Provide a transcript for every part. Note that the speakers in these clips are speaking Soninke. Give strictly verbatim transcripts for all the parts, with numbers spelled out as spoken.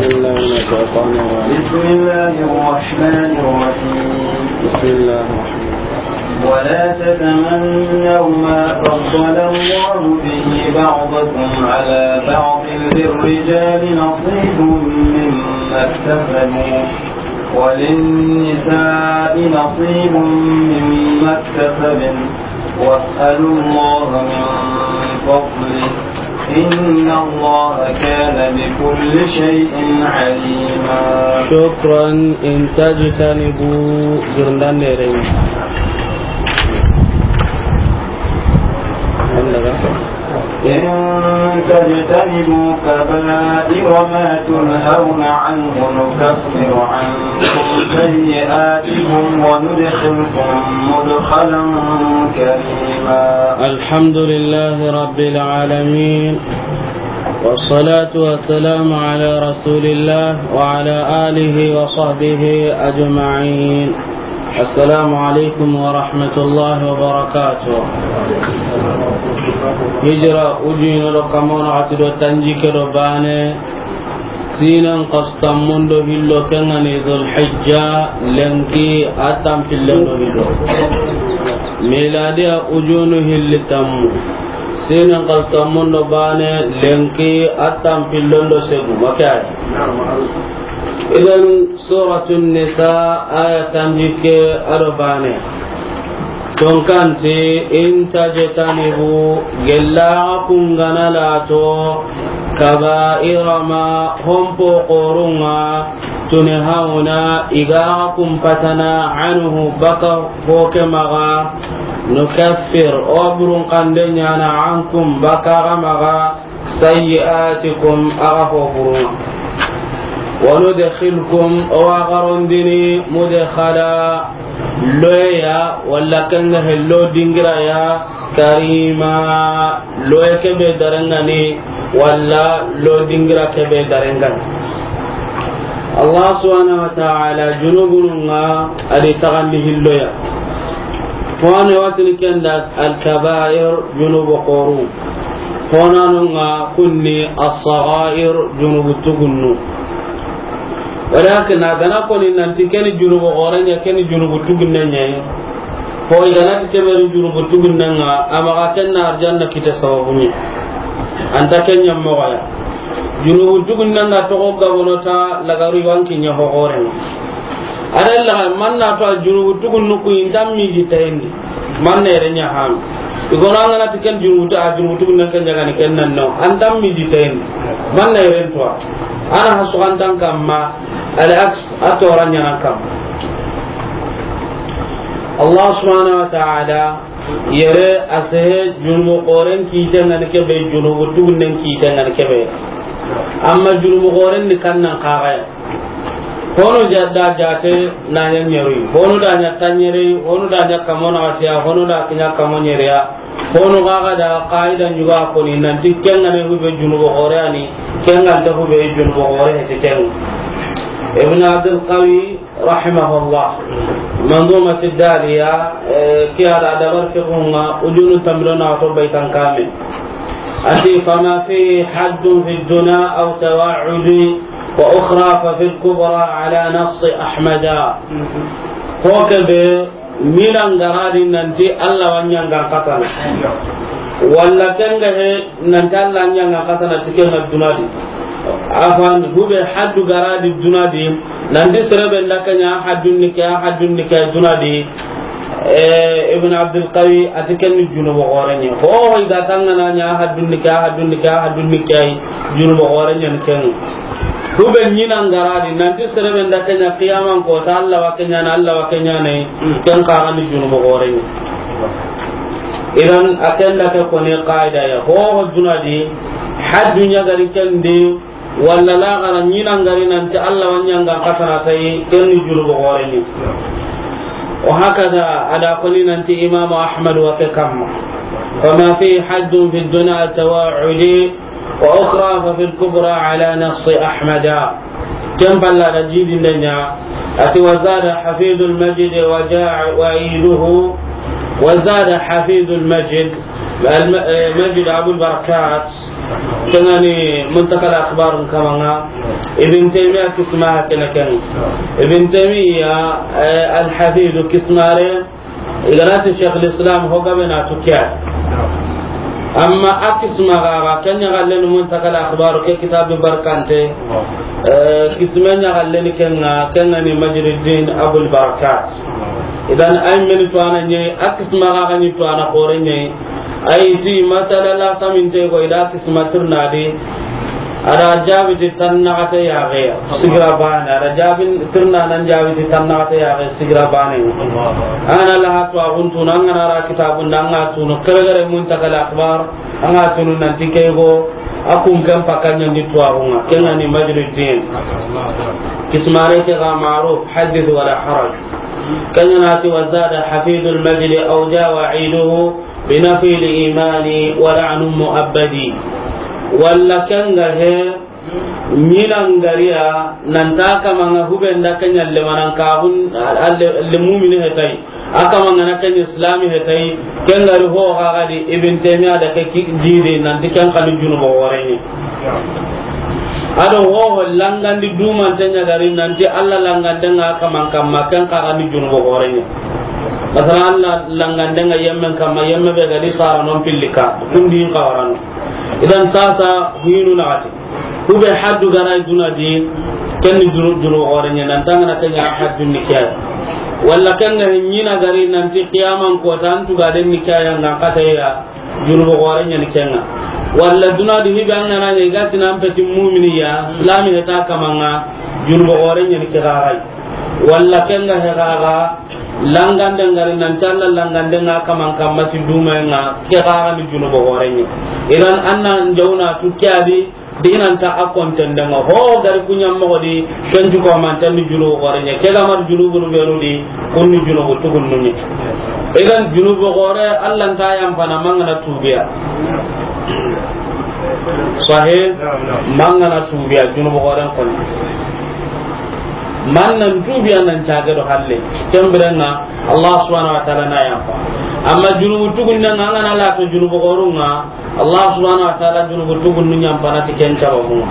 بسم الله الرحمن الرحيم. بسم الله الرحمن الرحيم. بسم الله الرحمن الرحيم. ولا تتمنوا ما فضل الله به بعضكم على بعض، للرجال نصيب مما اكتسبوا وللنساء نصيب مما اكتسبن، واسألوا الله من فضله، إن الله كان بكل شيء عليما. شكرا. إن تجتنبوا جرندان نيرين. إن تجتنبوا كبائر ما تنهون عنه نكفر عنكم سيئاتكم وندخلكم مدخلا كريما. الحمد لله رب العالمين، والصلاة والسلام على رسول الله وعلى آله وصحبه أجمعين. السلام عليكم ورحمة الله وبركاته. Hijira ujuno do kamon ati do tanjikke do bane, sinan kastamundo hillo kengani Dhul Hijja lenki a tampillen do hillo. Miladiya ujunu hilli tammu, sinan kastamundo bane lenki a tampillen do segu. Makay. Idan Suratu Nisa, aya tanjikke a do bane. Tonkanti, in tajtanibu, gella kun ga na lato, kaba'ira ma, hompo xorunga, tunhawna, i ga kun patana, anhu, baka hoke maxa, nukaffir, o burun kande ɲana, ankum, baka ga maxa, sayyi'atikum, axa ho burunga. Wa nudkhilkum, o wa garondini, mudkhala, loya, walla kanga hello dingira ya, karima, loya kebe darangani, walla lo dingira kebe darangani. Allah subhanahu wa ta'ala, junubununga, adi tagandi hilloya. Fone watini kenda al-kaba'ir, junubu xoru. Honanunga kunni as-sagha'ir, junubu tugunnu. Walakin a gana koni nanti keni junubu xorenya, keni junubu tugunne ɲayi. Ho i gana ti keberi junubu tugunnenga, amaga kenna arjanna kita sababu ɲi. Anta kenya mogoya. Junubu tugunnenga togo gabono ta lagaru wanki ɲa ho xorenga. Adalla manna to a junubu tugunnu ku intam mi di tayndi. Manne yere ɲa hami. Igono an ga na ti ken junubu ta, a junubu tugunnen ken jagani ken nan no. An tam mi di ten. Manne yere to. Ana hasu an tan kamma. Al aks a to ran ɲana kam. Allah subhanahu wa ta'ala yere a sehe junubu xoren kiten ŋa ni kebe, junubu tugunnen kiten ŋa ni kebe. Amma junubu xoren ni kannan kaxaya. Hono ja-, da jate na ɲa ɲeri, hono da ɲa tanɲeri, hono da ɲa kamo naxatiya, hono da kiɲa kamo ɲeriya, hono gaga da qaida ɲuga koni nanti kenga ne hube junubu xore ani, kenga nta hube junubu xore heti kenga. Ibn Abdul Qawi rahimahullah, Manzumati Daliya, eh, kiya da dabar fiqhunga, ujunu tamilo na to baitan kamil. Ati, fama fihi haddun fi duna aw tawa'udi, وأخرى ففي الكبرى على نص أحمد. Ko kebe minan garadi nanti Allah wa ɲangan katana. Walla kenga he nanti Allah ɲangan katana tikenga dunadi. Afan hube haddu garadi dunadi. Nanti serebe ndakanya haddun nika, haddun nika dunadi. Eh, Ibn Abdul Qawi, ati ken ni junubu xore ɲa. Ho, ho, i ga tangana ɲa, haddun nika, haddun nika, haddun nika, junubu xore ɲa ni ken. Hube ɲinan garadi, nanti serebe nda kenya qiyaman ko, ta Allah wa kenya na, Allah wa kenya ne, ken kaga ni junubu xore ɲa. Idan, a ken da ke koni qaida ya. Ho, ho, dunadi, haddu ɲa gari ken di, Walla laxara ɲinan gari nanti Allah wa ɲangan katana tayi, ken ni junubu xore ni. وهكذا a da koni nanti Imam Ahmad wa ke kamma. فما فيه حد في الدنا التواعد، وأخرى ففي الكبرى على نص أحمد. Ken palla da jidinde ɲa, ati وزاد حفيد المجد وجاء وعيده، وزاد حفيد المجد، الم-، eh, Majid Abul Barakat, Ken ga ni Muntakal Akhbar kamanga, Ibn Taymiya kisma kene ken. Ibn Taymiya, eh, Al-Hafiz kismare, i ga na ti Sheikh al-Islam ho gabe na tu kiya. Amma a kisma ga, ga ken ɲaxallen ni Muntakal Akhbar ke kitabu barkante, eh, kisme ɲaxallen ni ken ga, ken ga ni Majruddin Abul Barakat. Idan ay men to ana ɲi, a kisma ga ga ni to ana xore ɲi. Ay ti masala la saminte go i da kisma tirnadi. A da jaabi ti tannaxate yaxe ya, sigira bane. A da jaabi tirna nan jaabi ti tannaxate yaxe, sigira bane. An ga na la hatu a guntu, an ga na ra kitabun da, an ga tunu, kere kere Muntakal Akhbar, an ga tunu nan ti ke go, a kun kan pakanya ndi tuwaxu ŋa, ken ga ni Majruddin. Kismare ke ga ma'ruf, haddith wala haraj. Ken ga na ti, wa zada hafidul majdi aw ja wa'iduhu bi nafil imani wa la'nu mu'abbadi. Walla ken ga he, ɲina ngariya, nan ta kamanga hube nda ken ɲa le manan ka hun, alle, alle mu'mini he tay. A kamanga na ken islami he tay, ken ga ri ho ga ga di Ibn Taymiya da ke ki, jidi nan ti ken kanu junubo xore ɲi. A do ho ho langandi dumante ɲa ga ri nan ti Alla langande ŋa kaman kamma, ken xa ga ni junubo xore ɲi. Masalan, Alla langande ŋa yemmen kamma, yemme be ga di sara non pillika, kundi in xawarano. Idan sasa hinu naxati. Kube haddu ga na duna di, ken ni junu-, junubo xore ɲi, nan tangana ken ɲa haddu ni kiya. Walla ken ga ɲina ga ri nan ti qiyaman ko tan tu ga den ni kiya ŋa kata ya, junubo xore ɲi ni ken ŋa. Walla duna di hibe an ga na ɲi ga tinan peti mu'mini ya, islami he ta kamanga, junubo xore ɲi ni ke ga rai. Walla ken ga he ga ga, langande ngari nan talla langande ŋa kaman kamma ti duma ŋa, ke ga ga ni junubo xore ɲi. Idan an na jawna tu kiya di, dinan ta a konten da ŋa. Ho gari kunya moxo di, ken ju ko man tan ni junubo xore ɲi. Ke ga mar junubu nu be nu di, kun ni junubu tugun nu ɲi. Idan junubo xore Alla nta yan fana mangana tubiya. Sahih, mangana tubiya junubo xore kon. Man nan tubiya nan caage do halle. Ken biren ŋa Allah subhanahu wa ta'ala na yafa. Amma junubu tugunne ŋa, an ga na la to junubu xorun ŋa, Allah subhanahu wa ta'ala junubu tugunnu ɲampana ti ken sababu.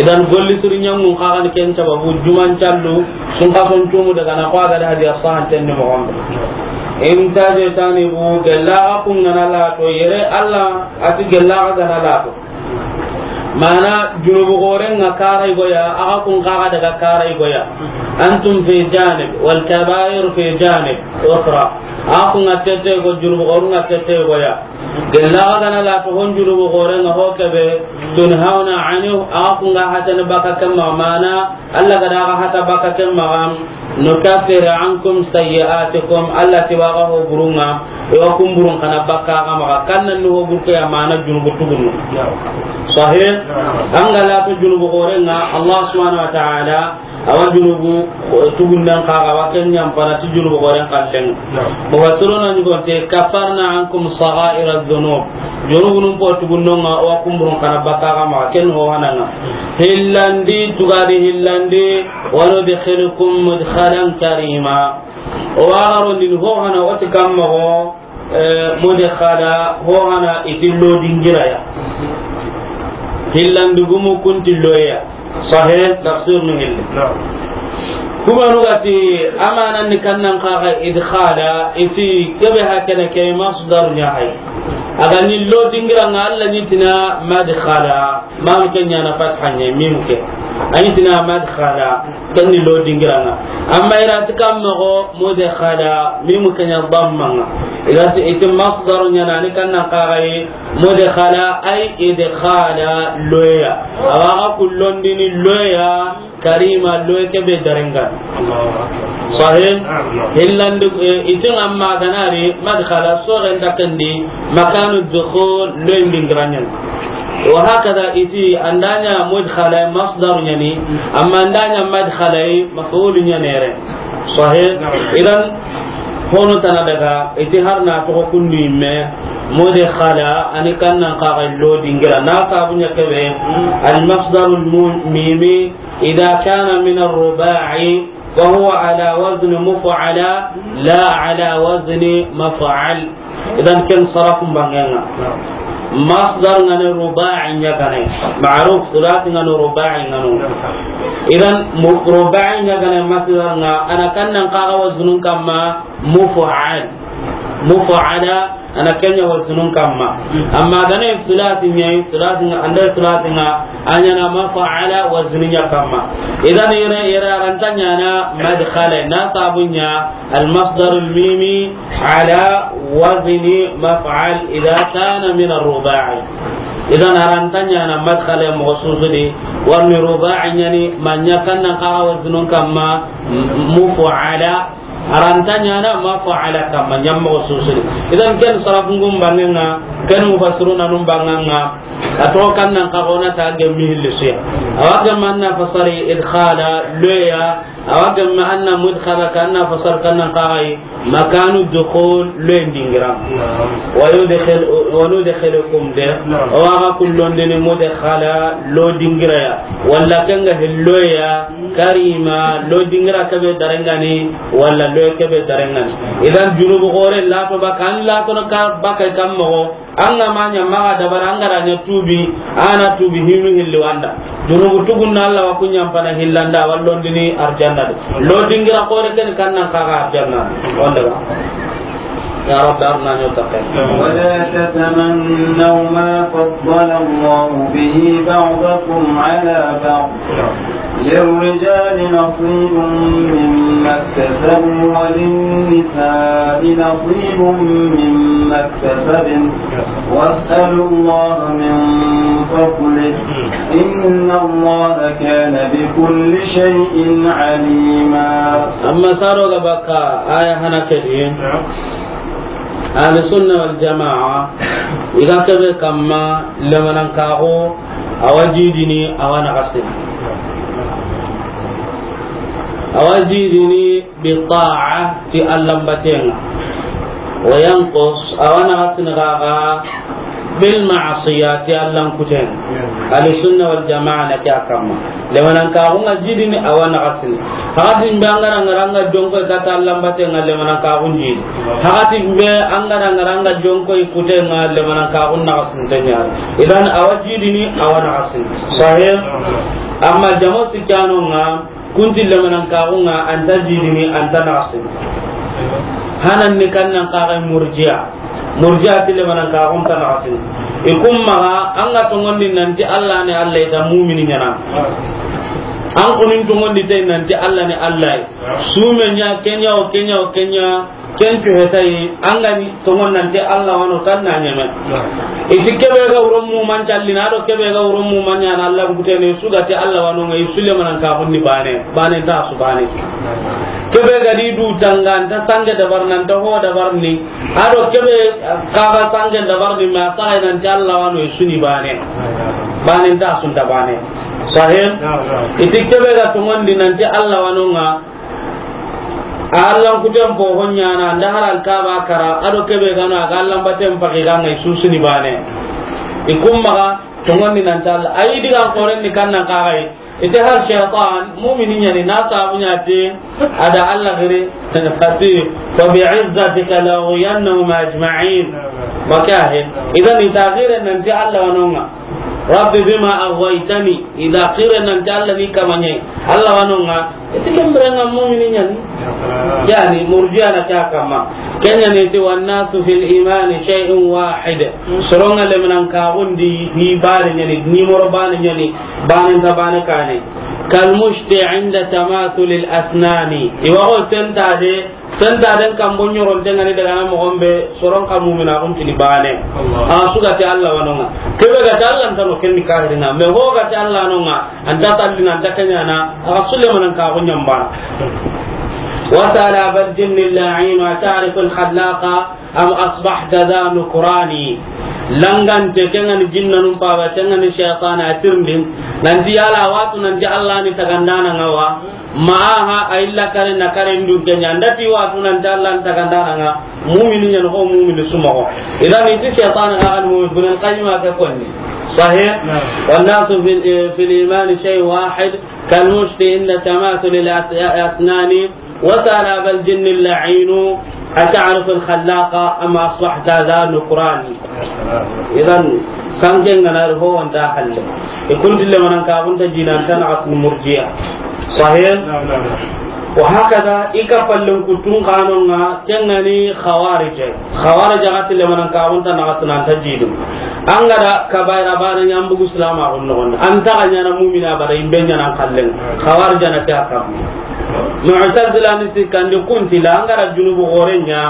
Idan golli siri ɲangun xa ga ni ken sababu, juman callu, sun ka son tumu daga na ko a ga da hadiya sahan ten ni moxo be. In ta je tani bu gella kun ga na la to yere Allah a ti gella ga na la to. Mana junubu xoren ŋa karay goya, a ga kun xa ga daga karay goya. Antum fi janib, wal kabair fi janib ukhra. A ga kun ŋa tete go, junubu xorun ŋa tete goya. Gella ga na la to hon junubu xoren ŋa ho kebe, tunhauna anhu, a ga kun ga hatana baka kamma mana, Alla ga da ga hata baka ken maxa, nukaffir ankum sayyi'atikum, Alla ti wa ga ho burun ŋa, e wa kun burun kana baka ga maxa, kan nan ho burke ya mana junubu tugunnu. Sahih? An ga la to junubu xoren ŋa, Allah subhanahu wa ta'ala, a wa junubu tugunnen xa ga wa ken ɲampana ti junubu xoren kallen. Mufassiruna ɲi gonte, kaffarna ankum sagha'ira dhunub. Junubunun po tugunnonga, o wa kumburun kana baka ga maxa, ken ho hananga. Hillandi, tugadi hillandi, wa nudkhilukum mudkhalan karima. O wa garondini ho hana o ti kamma go, eh, mudkhala, ho hana i ti lo dingira ya. Hillandi gumu kun ti lo ya. Sahih, tafsir nu hilli. Naam. Kubanu ga ti, amanan ni kannan xa ga idkhala, i ti kebe hakene ke masdar ɲa hay. A ga ni lo dingira nga Alla ni tina madkhala, mam ke ɲa na fatha ɲa, mim ke. A ni tina madkhala, ken ni lo dingira nga. Amma i ra ti kamma go mudkhala, mim ke ɲa damma nga. I ra ti i ti masdar ɲa na ni kannan xa ga yi, mudkhala ay idkhala loya. Awa ga kullondini loya, karima loya kebe darengan. Allahu akbar. Sahih? Naam, naam. Hillandi, eh, itin amma ganari, madkhala soren dakendi, makanu dukhul loyin dingiranyan. Wa hakada iti andanya mudkhala masdar nyani, amma andanya madkhala maf'ul nyani re. Sahih? Naam. Idan, hono tana daga, iti har na to kundi me, mudkhala, ani kannan kaga lo dingira. Na sabu nya kebe, al masdarul mu-, mimi, idha kana min ar-ruba'i, wa huwa ala wazn muf'ala, la ala wazn maf'al. Idan ken sarafun bangenga. Naam. Masdar ŋa ni ruba'i ɲa gane. Ma'ruf, sulasi ŋa no, ruba'i ŋa no. Idan, mu-, ruba'i ɲa gane masdar ŋa, a na kannan kaga waznun kamma muf'al. Muf'ala, a na ken ɲa waznun kamma. Amma gane sulasi ɲa, sulasi ŋa, anda sulasi ŋa, a ɲa na maf'ala waznun ɲa kamma. Idan yere, yere a ra nta ɲaana madkhala, na sabu ɲa المصدر الميمي على وزن مفعل إذا كان من الرباعي. Idan a ra nta ɲaana madkhala moxo su su di, warni ruba'i ɲa ni, ma ɲa kannan kaga waznun kamma, m-, muf'ala, a ra nta ɲaana maf'ala kamma, ɲa moxo su su di. Idan ken sarafun ŋun banŋen ŋa, ken mufassiruna nun banŋen ŋa, a toxo kannan kaga o na ta gemmi hilli su ya. A wa gemma an na fasari idkhala, lo ya, a wa gemma an na mudkhala, ka an na fasar kannan kaga yi, makanu dukhul, lo ya n dingira. Naam. Wa yudkhil-, wa nudkhilukum de. Naam. O wa ga kullondini mudkhala, lo dingira ya. Walla ken ga hillo ya, karima, lo dingira kebe darengani, walla lo kebe darengani. Idan junubu gore lato ba kan lato na ka ba kai kam moxo, An ga ma ɲa maxa dabari, an ga ra ɲa tuubi, a na tuubi hinu hilli wanda. Junubu tugun na Alla wa ku ɲampana hillanda, wa londini arjanna de. Lo dingira xore ken kannan kaga arjanna. Wanda ga. Ya Rabbi, arna ɲo takke. ولا تتمنوا ما فضل الله به بعضكم على بعض. للرجال نصيب مما اكتسبوا وللنساء نصيب مما اكتسبن واسألوا الله من فضله إن الله كان بكل شيء عليما. Amma saro ga baka aya hana kedi. Ahlu sunna wal jamaa, i ga kebe kamma lemanankaxu, a wa jidini, a wa naxasini. A wa jidini bi ta'a, ti Allan batenŋa. Wa yanqus, a wa naxasini xaxa, bil ma'asiya, ti Allan kutenŋa. Ahlu sunna wal jamaa na ke a kamma. Lemanankaxun ŋa jidini, a wa naxasini. Hakatin be an ga na ŋara an ga jonkoy kata Allan batenŋa, lemanankaxun jidi. Hakatin be an ga na ŋara an ga jonkoy kutenŋa, lemanankaxun naxasinten ɲa ni. Idan a wa jidini, a wa naxasini. Sahih? Amma jamo sikkanonŋa, kunti lemanankaxun ŋa, a nta jidini, a nta naxasini. Hanan ni kannan kaxay murji'a. Murji'a ti lemanankaxun nta naxasini. I kun maxa, an ga tonŋondi nanti Alla ni Alla, i ta mumini ɲaana. An kunin tonŋondi tay nanti Alla ni Alla. Sume ɲa, ke ɲa, o ke ɲa, o ke ɲa, ken cu hetayi, an ga ni tonŋon nanti Alla wa no, tan na ɲeme. I ti kebe ga wuro muman callina, a do kebe ga wuro muman ɲaana Alla kutene, su ga ti Alla wa no ŋa, i su lemanankaxun ni bane, bane nta su bane. Kebe ga di du tanga, a nta sange dabarini, a nta ho dabarini. A do kebe kaga sangen dabarini, ma saga nanti Alla wa no, i su ni bane. Bane nta su nta bane. Sahih? Naam, naam. I ti kebe ga tonŋondi nanti Alla wa no ŋa, a Allan kuten fo ho ɲaana, nda haran kaba kara, a do kebe ga no, a ga Allan baten paki ga ŋa, i su su ni bane. I kun maxa tonŋondi nanti Alla. Ayi digan xoren ni kannan kaxay. I ti har shaytan, mumini ɲa ni, na sabu ɲa ti, a da Alla giri, a ti, "Fa bi izzatika la ughwiyannahum ajma'in." Wa kahe. Idan i ta giri nanti Alla wa no ŋa. "Rabbi bima aghwaytani." I ta giri nanti Alla ni kamaɲe. Alla wa no ŋa. I ti ken biren ŋa mumini ɲa ni. Yani, murji'a na ke a kamma. Ken ɲa ni ti, "Wan nasu fil imani shay'un wahid." Soronŋa lemanankaxun di, ni bane ɲa ni, ni moro bane ɲa ni. Bane nta bane kane. Kal mushti inda tamathulil asnani. I wa xo sentade, sentaden kambo ɲoronten ŋa ni daga na moxon be, soron xa muminaxun kini bane. Allah. A su ga ti Alla wa no ŋa. Kebe ga ti Alla nta no, ken ni kahirina. Me ho ga ti Alla no ŋa, a nta tallina, a nta ke ɲaana, a ga su lemanankaxu ɲa n bana. Wasala bal jinni la'in wa ta'rifu al khallaqa. Am asbahta dha nukrani. Langante, ken ŋa ni jinnanun paba, ken ŋa ni shaytana, a tirindin. Nanti yala watu nanti Alla ni tagandana ŋa wa. Ma aha, a illa kare na kare ndun ke ɲa. Ndati watu nanti Alla ni tagandana ŋa. Mumini ɲa ni ho, mumini su moxo. Idan i ti shaytana ga ni mumini, Ibn al-Qayyim ke konni. Sahih? Naam. Wan nasu fil, fil imani shay'un wahid. Kal mushti inda tamathulil as-, asnani. Wasala bal jinni la'inu. أتعرف الخلاق أم أصبحت ذا نكران. Idan, sanke ŋa na ri ho wonta halle. I kunti lemanan ka gunta jina ta na asun murjiya. Sahih? Naam, naam, naam. Wa hakada, i ka fallen kutun kanonga, ken ŋa ni khawarij. Khawarij ga ti lemanan ka gunta na asun anta jidu. An ga da kabaira bana ɲa an bugu silama gon no. An ta ga ɲaana mu'mina bada imbe ɲaana kallen. Khawarij na ke a kam. Mu'tazila ni sikkandi kunti la an ga da junubu gore ɲa.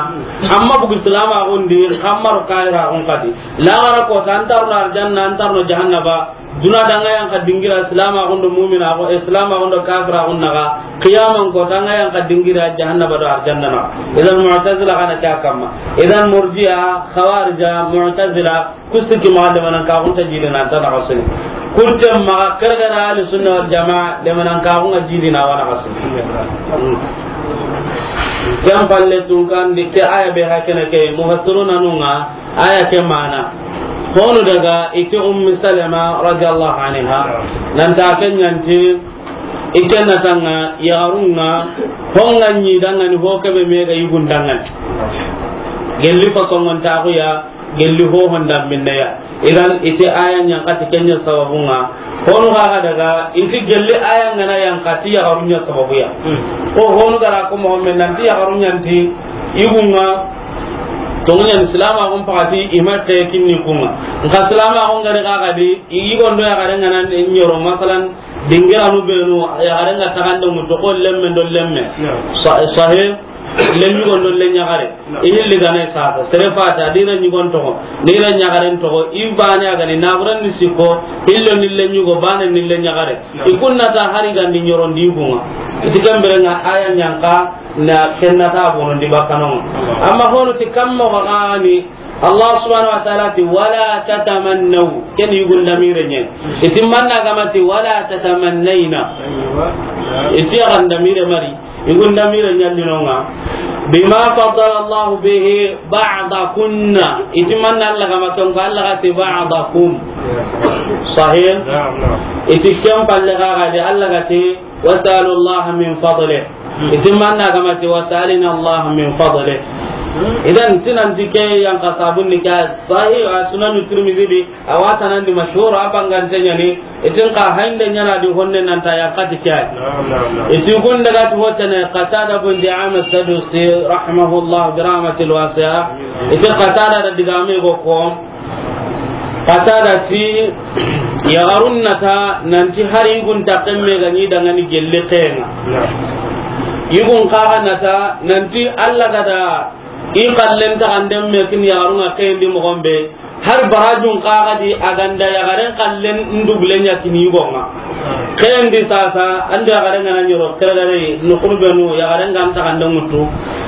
Amma bugu silama gon di, kammaro kaira gon kadi. Lagara ko ta antarno arjanna, antarno jahannaba. Duna danga yan ka dingira silama gon do mu'mina gon, silama gon do kafira gon naga. Qiyaman ko tanga yan ka dingira jahannaba do arjanna na. Idan mu'tazila kana kya kamma. Idan murji'a, khawarija, mu'tazila, kusiki ma lemanan ka gunta jidi na ta na kasuni. Kutte ma kargara ahli sunna wal jamaa lemanan ka gunta jidi na wana kasuni. Hmm. Ken palle tun kan di ke aya be hakene ke mufassiruna nunga. Aya ke mana. Honu daga iti Ummi Salama radiyallahu anha. Nanta ken ɲanti ike na tanga yaxarunga honga ɲi dangani ho kebe mega yugun dangani. Gelli fasongon taxuya, gelli ho honda minneya. Idan iti aya ɲankati kenya sababunga. Honu ga daga inti gelli aya ngana yankati yaxarunya sababuya. Hmm. Ko honu gara ko mo men nanti yaxarunya nti yugunga. Tonguɲan silama gon pakati i ma te kinni kunga. Nka silama gon gari kaga di, i gondo yaxare ngana ɲoro, masalan, dingiranu benu, yaxare nga taxande mutu ko lemme do lemme. Naam. Sa-, sahih, lenɲugon do lenɲaxare. Naam. I hilli gane sasa, sere fata, dira ɲugon toxo, dira ɲaxaren toxo, i bane a gani, naburan ni sikko, hillo ni lenɲugo, bane ni lenɲaxare. Naam. I kunna ta hari gandi ɲorondi kunga. Iti kembere nga aya ɲanka, na kenna ta bonondi bakkanonga. Amma hono ti kammo gani, Allah subhanahu wa ta'ala ti, "Wala tatamannaw." Ken yugun damire ɲen. Iti manna gama ti, "Wala tatamannayna." Iti agan damire mari. Yugun damire ɲallinonga. "Bima faddala Allahu bihi ba'dakunna." Iti manna Allah gama tonka Allah gati ba'dakum. Sahih? Naam, naam. Iti ken palle gaga di Allah gati, "Wasalu Allah min fadlih." Iti manna gama ti, "Wasalina Allah min fadlih." Idan tinan ti ke yan ka sabun ni ka sahih a sunan Tirmidhi di, a watanan di mashhur a bangante ɲani, itin ka hainde ɲana di honne nanta yan kati ke. Naam, naam, naam. Iti kun daga ti hotene Qatada bin Di'ama Sadusi rahimahullah bi rahmatil wasi'a. Iti Qatada da digame go ko, Qatada ti, yaxarun nata nanti hari yugun taxen me ga ɲi dangani gelle xenga. Yugun kaga nata nanti Allah gada i xallen taxanden me kin yaxarun ŋa xendi moxon be. Har barajun kaga di a ganda yaxaren xallen ndubule ɲa kini yugonga. Xendi sasa, ando yaxaren gana ɲoro, keregare, nukunu benu, yaxaren gan taxande ŋutu.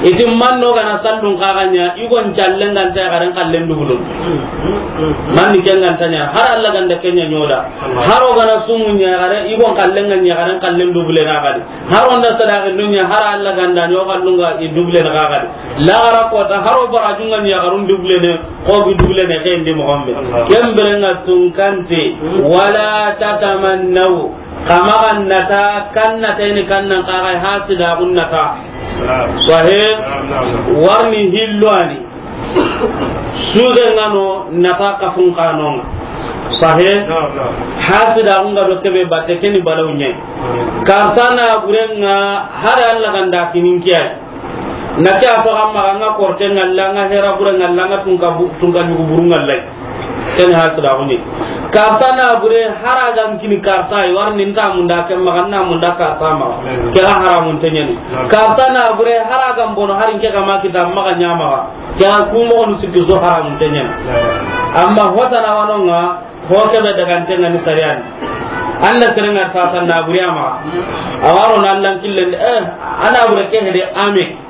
Iti manno gana sallun kaga ɲa, igon callen ganta yaxaren xallen dubulun. Manni ken ganta ɲa, har Allah ganda ken ɲa ɲoda. Haro gana sumu ɲa yaxare, igon xallen gan yaxaren xallen dubule na gadi. Haro nda sadaqi dunya, har Allah ganda ɲo xallunga i dubule na gadi. Lagara kota, haro barajun gan yaxarun dubule ne. Ko gi dubule ne xendi moxon be. Allah. Ken bire nga tunkante, wala tatamannaw. Kama ga nata, kan nata ini kan nan kaga hasida gun nata. Naam. Sahih? Naam, naam, naam. Warni hillo ani. Suge ngano nata kafun kanonga. Sahih? Naam, naam. Hasida gun ga do kebe batte keni balaw ɲe. Naam. Kartana burenga hada Allah ganda kinin kiyai. Na ke a to amma ga nga korte ngalla, nga hera bure ngalla, nga tunka bu-, tunka nyugu buru ngalla. Ken ha to da honi. Karta na bure hara ga kini karta, i war nin ta munda ke maga na munda karta ma. Ke haramun tenyani. Karta na bure hara ga mbono hari ke ga ma kita maga nyama. Ke ku mo on sikki so haramun tenyani. Amma hota na wanonga, ho kebe dagantenga ni sariyani. Anda serenga sasa na buri ama. Awaro na Allah killen, eh, ana bure ke hede ame.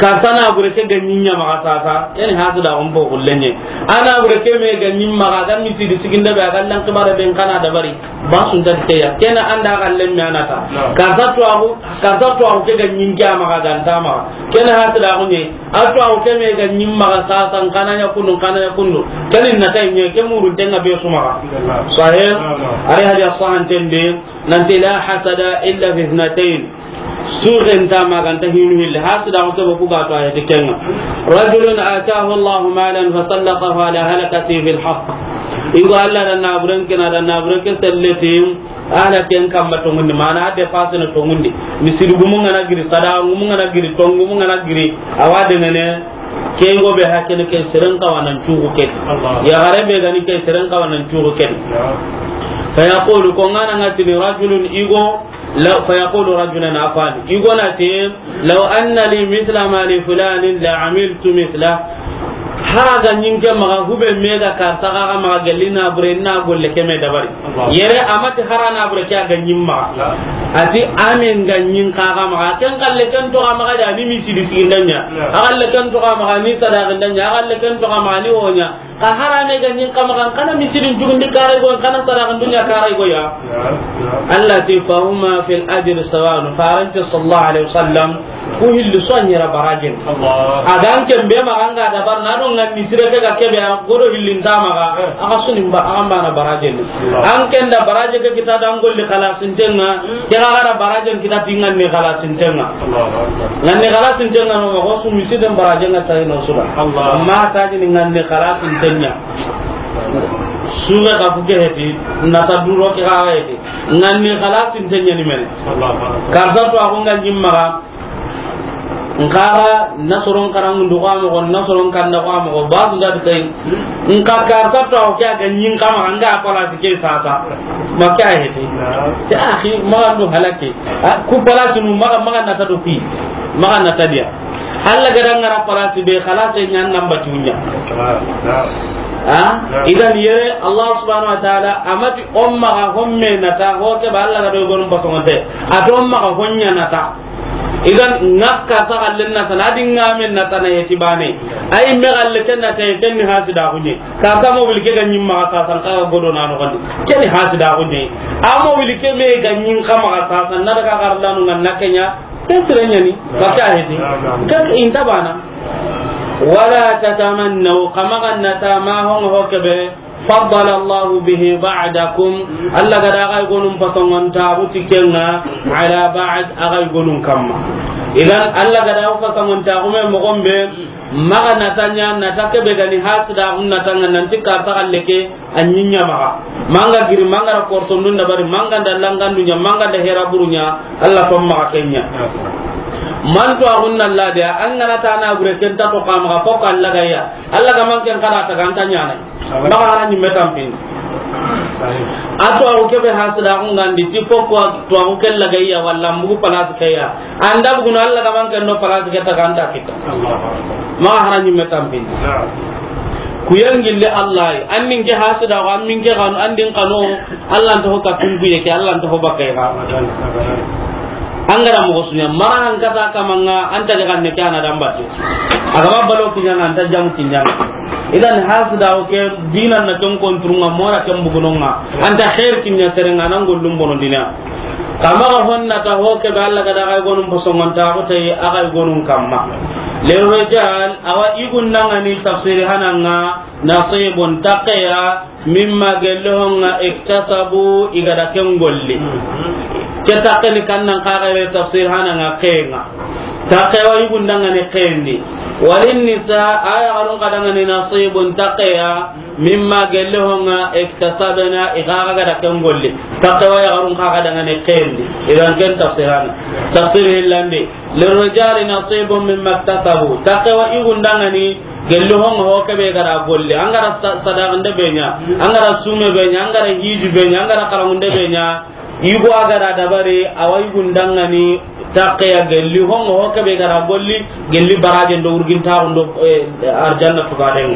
Karta na bure ke ganyinya ma sasa. Yani hasida on bo kullenye. Ana bure ke me ganyim ma ga miti di siginda be ga Allah kibara ben kana da bari. Ba sun da ke ya. Kena anda ga lemme anata. Karta to agu, karta to agu ke ganyin ke ma ga ganta ma. Kena hasida on ne. A to aw keme ga nyim maga sasa, n kana ɲa kundu, n kana ɲa kundu. Kani na tay ɲe ke murun tenga be su maga. Sahih. Ari hadiya sahan tende, nanti la hasada illa fi ithnatayn. Suxen ta ma ganta hinu hilli, hasidaxu ke be ku ga to a yeti kenŋa. Rajulun atahu Allahu malan fasallatahu ala halakati fil haqq. Igo Allah da naburen kina da naburen ke selleti, ala ken kamma tongundi, mana a dépensé na tongundi. Misiri gumu ngana giri, sadaxa gumu ngana giri, tongumu ngana giri, awa dengene, ke igo be hakene ke seren kawanan cuxu ke. Allah. Yaxare be gani ke seren kawanan cuxu ke. Ya. Fa yaqulu, ko ngana ngatini rajulun igo, Law, fa yaqulu rajulun, afani. Igo na ti, law anna li mithla ma li fulanin la amiltu mithla. Hara ga ɲi n ke maxa, hube me ga karsa ga maxa, gelli na bure na golle ke me dabari. Allah. Yere a ma ti hara na bure ke a ga ɲi n maxa. La. A ti a me n ga ɲi n xa ga maxa. Ken xalle ken toxo a maxa da ni misiri siginda ɲa. La. A xalle ken toxo a maxa ni sadaxinda ɲa. A xalle ken toxo a maxa ni wo ɲa. Xa hara me ga ɲi n xa maxa, n xa na misirin jugundi karay go, n xa na sadaxan dunya karay go ya. Naam, naam. Allah ti, fahuma fil ajri sawaun. Farante sallallahu alaihi wasallam, ku hilli so ɲera barajen. Allah. A ga n ke be maxa n ga dabar na do n ga misire ke ga ke be a godo hillin ta maxa, eh, a ga sunin ba, a ga n bana barajen. Allah. An ken da baraje ke kita da n golli xalasintenŋa, hmm, ke ga da barajen kita tingan ni xalasintenŋa. Allahu akbar. Ngan ni xalasintenŋa no, ko su misiden barajen ŋa tayi no sura. Allah. Ma taji ni ngan ni xalasintenŋa. Suga ka fuke heti, na ta duro ke ga heti. Ngan ni xalasintenŋa ni mene. Allahu akbar. Karsa to a ko ngan ɲi n maxa, n xa ga na soron karangundu ko a moxo, na soron kanda ko a moxo, ba su da kai. N xa karsa to a ko ke a ga ɲi n xa maxa, n ga place ke sasa. Ma ke a heti. Naam. Ya akhi, maxa n do halake. A, ku place nu maxa, maxa na ta do fi. Maxa na ta diya. Allah ga da n ga ra place be, xalase ɲa n namba tunya. Naam, naam. Ha? Naam. Idan yere, Allah subhanahu wa ta'ala, a ma ti o maxa homme na ta, ho ke ba Allah ga do gonum basongonte. A to o maxa honya na ta. Idan, n ga karsa xallen na ta, na di n ga men na ta na yeti bane. Ay me xalle ken na ta, ken ni hasidaxu ɲi. Karsa mobili ke ga ɲi n maxa, karsa n xa ga godo na no gandi. Ken ni hasidaxu ɲi. A mobili ke me ga ɲi n xa maxa, karsa na daga xarlanu ngan na ke ɲa. Ken sire ɲa ni. Ba ke a heti. Ken inta bana. Wala tatamannaw, xa maxa na ta ma hon ho ke be. Faddala Allahu bihi ba'dakum. Allah ga da a ga i gonun pasongontaxu ti ken ŋa, ala ba'd, a ga i gonun kamma. Idan, Allah ga da a pasongontaxu me moxon be, maxa na ta ɲa, na ta ke be ga ni hasidaxu na ta ŋa, nanti karsa xalle ke, a ɲi ɲa maxa. Ma n ga giri, ma n ga ra korsondun dabari, ma n ga da langandu ɲa, ma n ga da hera buru ɲa, Allah to maxa ken ɲa. Man to a gunna Allah de, an ga na ta na gure ken ta to xa maxa, fo ka Allah ga ya. Allah ga man ken xa ra ta ga n ta ɲa na. Maxa hara ɲimme tampindi. A to a ku ke be hasidaxu ŋa ndi ti fo ko to a ku ke lagayya walla mbugu place ke ya. An da bugu no Allah ga man ken no place ke ta ga n ta kita. Maxa hara ɲimme tampindi. Ku yangille Allah yi. An nin ke hasidaxu, an min ke xanu, an din xanu, Allah nta ho ka tunku ye ke, Allah nta ho bakay ga. An ga da moxo su ɲa, mara han kata kama ŋa, an ta ga ne ke ana dambate. A ga ma balo kiɲa ŋa, an ta jamu kiɲa ŋa. Idan hasidaxu ke, dinan na ken konturunŋa, mora ken bugunonŋa. An ta xeer kiɲa sere ŋa, nan gollum bono dina. Xa maxa honna ta ho ke be Allah ga da a ga i gonun pasongontaxu tayi, a ga i gonun kamma. Lirrijal, awa i gundanŋa ni tafsiri hana ŋa, nasibun, taqeya, mimma, gelli ho ŋa, iktasabu, i ga da ken golli. Ke taqe ni kannan xa ga re tafsir hana ŋa, ke ŋa. Taqe wa i gundanŋa ni ke ndi. Walin nisa, a yaxarun xa danŋa ni nasibun, taqeya, mimma, gelli ho ŋa, iktasabna, i xa ga da ken golli. Taqe wa yaxarun xa ga danŋa ni ke ndi. Idan ken tafsir hana. Tafsir hillandi. Lirrijali nasibun mimma iktasabu. Taqe wa i gundanŋa ni gelli ho ŋa ho ke be ga da golli. An ga da sa-, sadaxande be ɲa. An ga da sume be ɲa. An ga da hiji be ɲa. An ga da xarangunde be ɲa. I go a ga da dabari, awa i gundanŋa ni taqeya gelli ho ŋa ho ke be ga da golli. Gelli barajen do wurgintaxun do, eh, arjanna tugaden.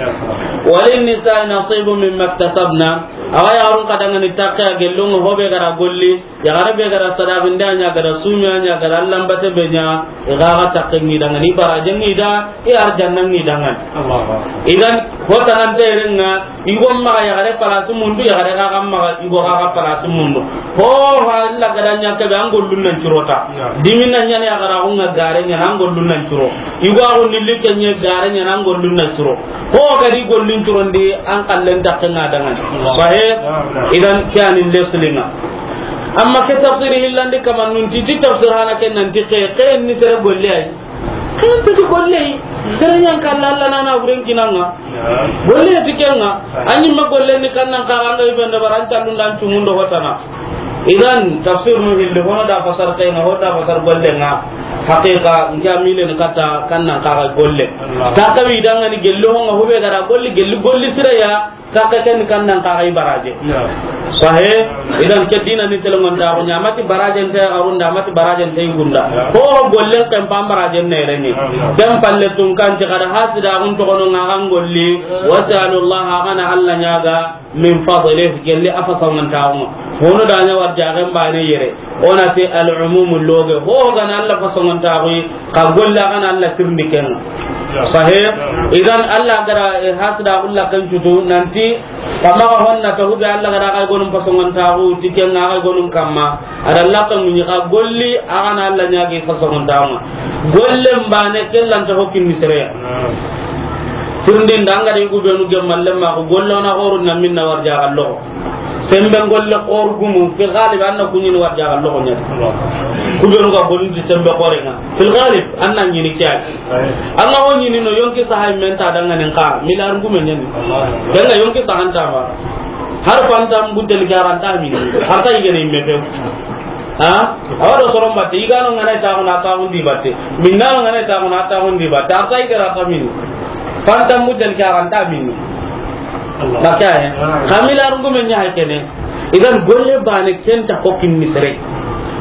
Walin nisa nasibun mimma iktasabna. Awa yaxarun xa danŋa ni taqeya gelli ho ŋa ho be ga da golli. Yaxare be ga da sadaxinde a ɲa, ga da sumi a ɲa, ga da allanbate be ɲa, i ga ga taqe ŋi danŋa ni, baraje ŋi da, i arjanna ŋi danŋa ni. Allahu akbar. Idan, ho tanante ren ŋa, i go maxa yaxare place mundu, yaxare ga ga maxa, i go ga ga place mundu. Ho, ha, illa ga da ɲa ke be, an gollun nan curo ta. Ya. Dimin na ɲa ni yaxara xu ŋa gare ɲa na, an gollun nan curo. I go a xo ni like ɲa gare ɲa na, an gollun nan curo. Ho ga di gollun curon di, an xallen taqe ŋa danŋa ni. Allah. Sahe, ya, ya. Idan, ke a ni leslinŋa. Amma ke tafsiri hillandi kamannun ti, ti tafsir hana ken nan ti ke, ke ni sere golle ay. Ke ni sere golle ay. Sere ɲan kalla Alla na na buren kinanga. Golle ti kenga. Anyi ma golle ni kannan ka anga ibenda baran tallun dan tumundo hotana. Idan tafsir nu hilli hono da fasar kayna, hono da fasar golle nga. Haqiqa, nka mile ni kata kannan ka golle. Ta kawi danga ni gello honga hube gara golli, gelli golli sira ya. Sakke ken kannan ka ga i baraje. Sahe, idan ke dina ni telongontaxu ɲa, a mati barajen te arunda, a mati barajen te yugunda. Ko gollen ken pa barajen ne reni. Ken palle tun kan ti kada hasida un to kono nga kan golli. Wasalullah, a gana Alla ɲaga, min fadlih, gelli a fasangontaxu. Hono da ɲa warjaxen bane yere. Ona ti al-umum loge. Ho gana Alla fasangontaxu. Ka golle a gana Alla tirindi kenga. Sahe, idan Alla gara, eh, hasida ulla kan cutu nanti kama ga honna ta hube Alla gara ga gonum pasongontaxu ti kenga ga gonum kamma. Ada Alla kan munyi ka golli a gana Alla ɲagi pasongontaxu. Golle mbane kellan ta hokkin ni sereya. Tirindin da anga de gubenu gemmalle ma ko gollona horu na minna warja gallo. Sembe golle xoru gumu, fil ghalib, anna kuɲini warja ga loxo ɲa. Kubenu ga golin ti sembe xore nga. Fil ghalib, anna ɲini kiya. Anga ho ɲini no yonki sahay men ta danga nen ka, milar gume ɲani. Danga yonki sahanta ma. Har fantam butel garanta mini. Har ta igene imme few. Ha? Awa do soron batte, igano ngana ta ko na ta hundi batte. Minna ngana ta ko na ta hundi batte. Har ta igara ta mini. Fantam butel garanta mini. Maka he. Kamila rungume ɲa hay kene. Idan golle bane kenta ko kinni sere.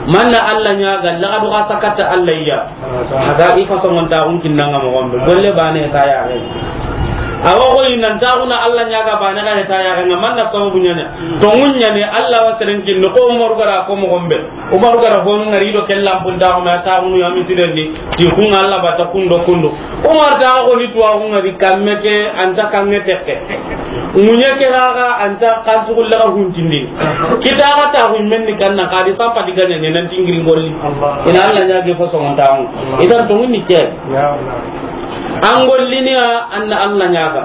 Manna Alla ɲaga, laga duga sakata Alla iya. Haga i fasongontaxun kinnanga moxon be. Golle bane ta yaxe. Awa ko inan taxuna Alla ɲaga bane ga ta yaxe nga manna sababu ɲane. Tongun ɲane Alla wa seren kinni ko Umaru gara ko moxon be. Umaru gara fonu ngari do kellan punta ko ma taxunu ya mitirendi. Ti kun Alla bata kundo kundo. Umar ta ko ni tuwa kun ngari kamme ke anta kange tekke. Munye ke ga anta kansugulla ga huntindi. Kita ga ta hun menni kanna kadi papa di ganya ne nan tingiri golli. Ina Alla ɲage fasongontaxu. Idan tongun ni ke. An gollini ya anna Alla ɲaga.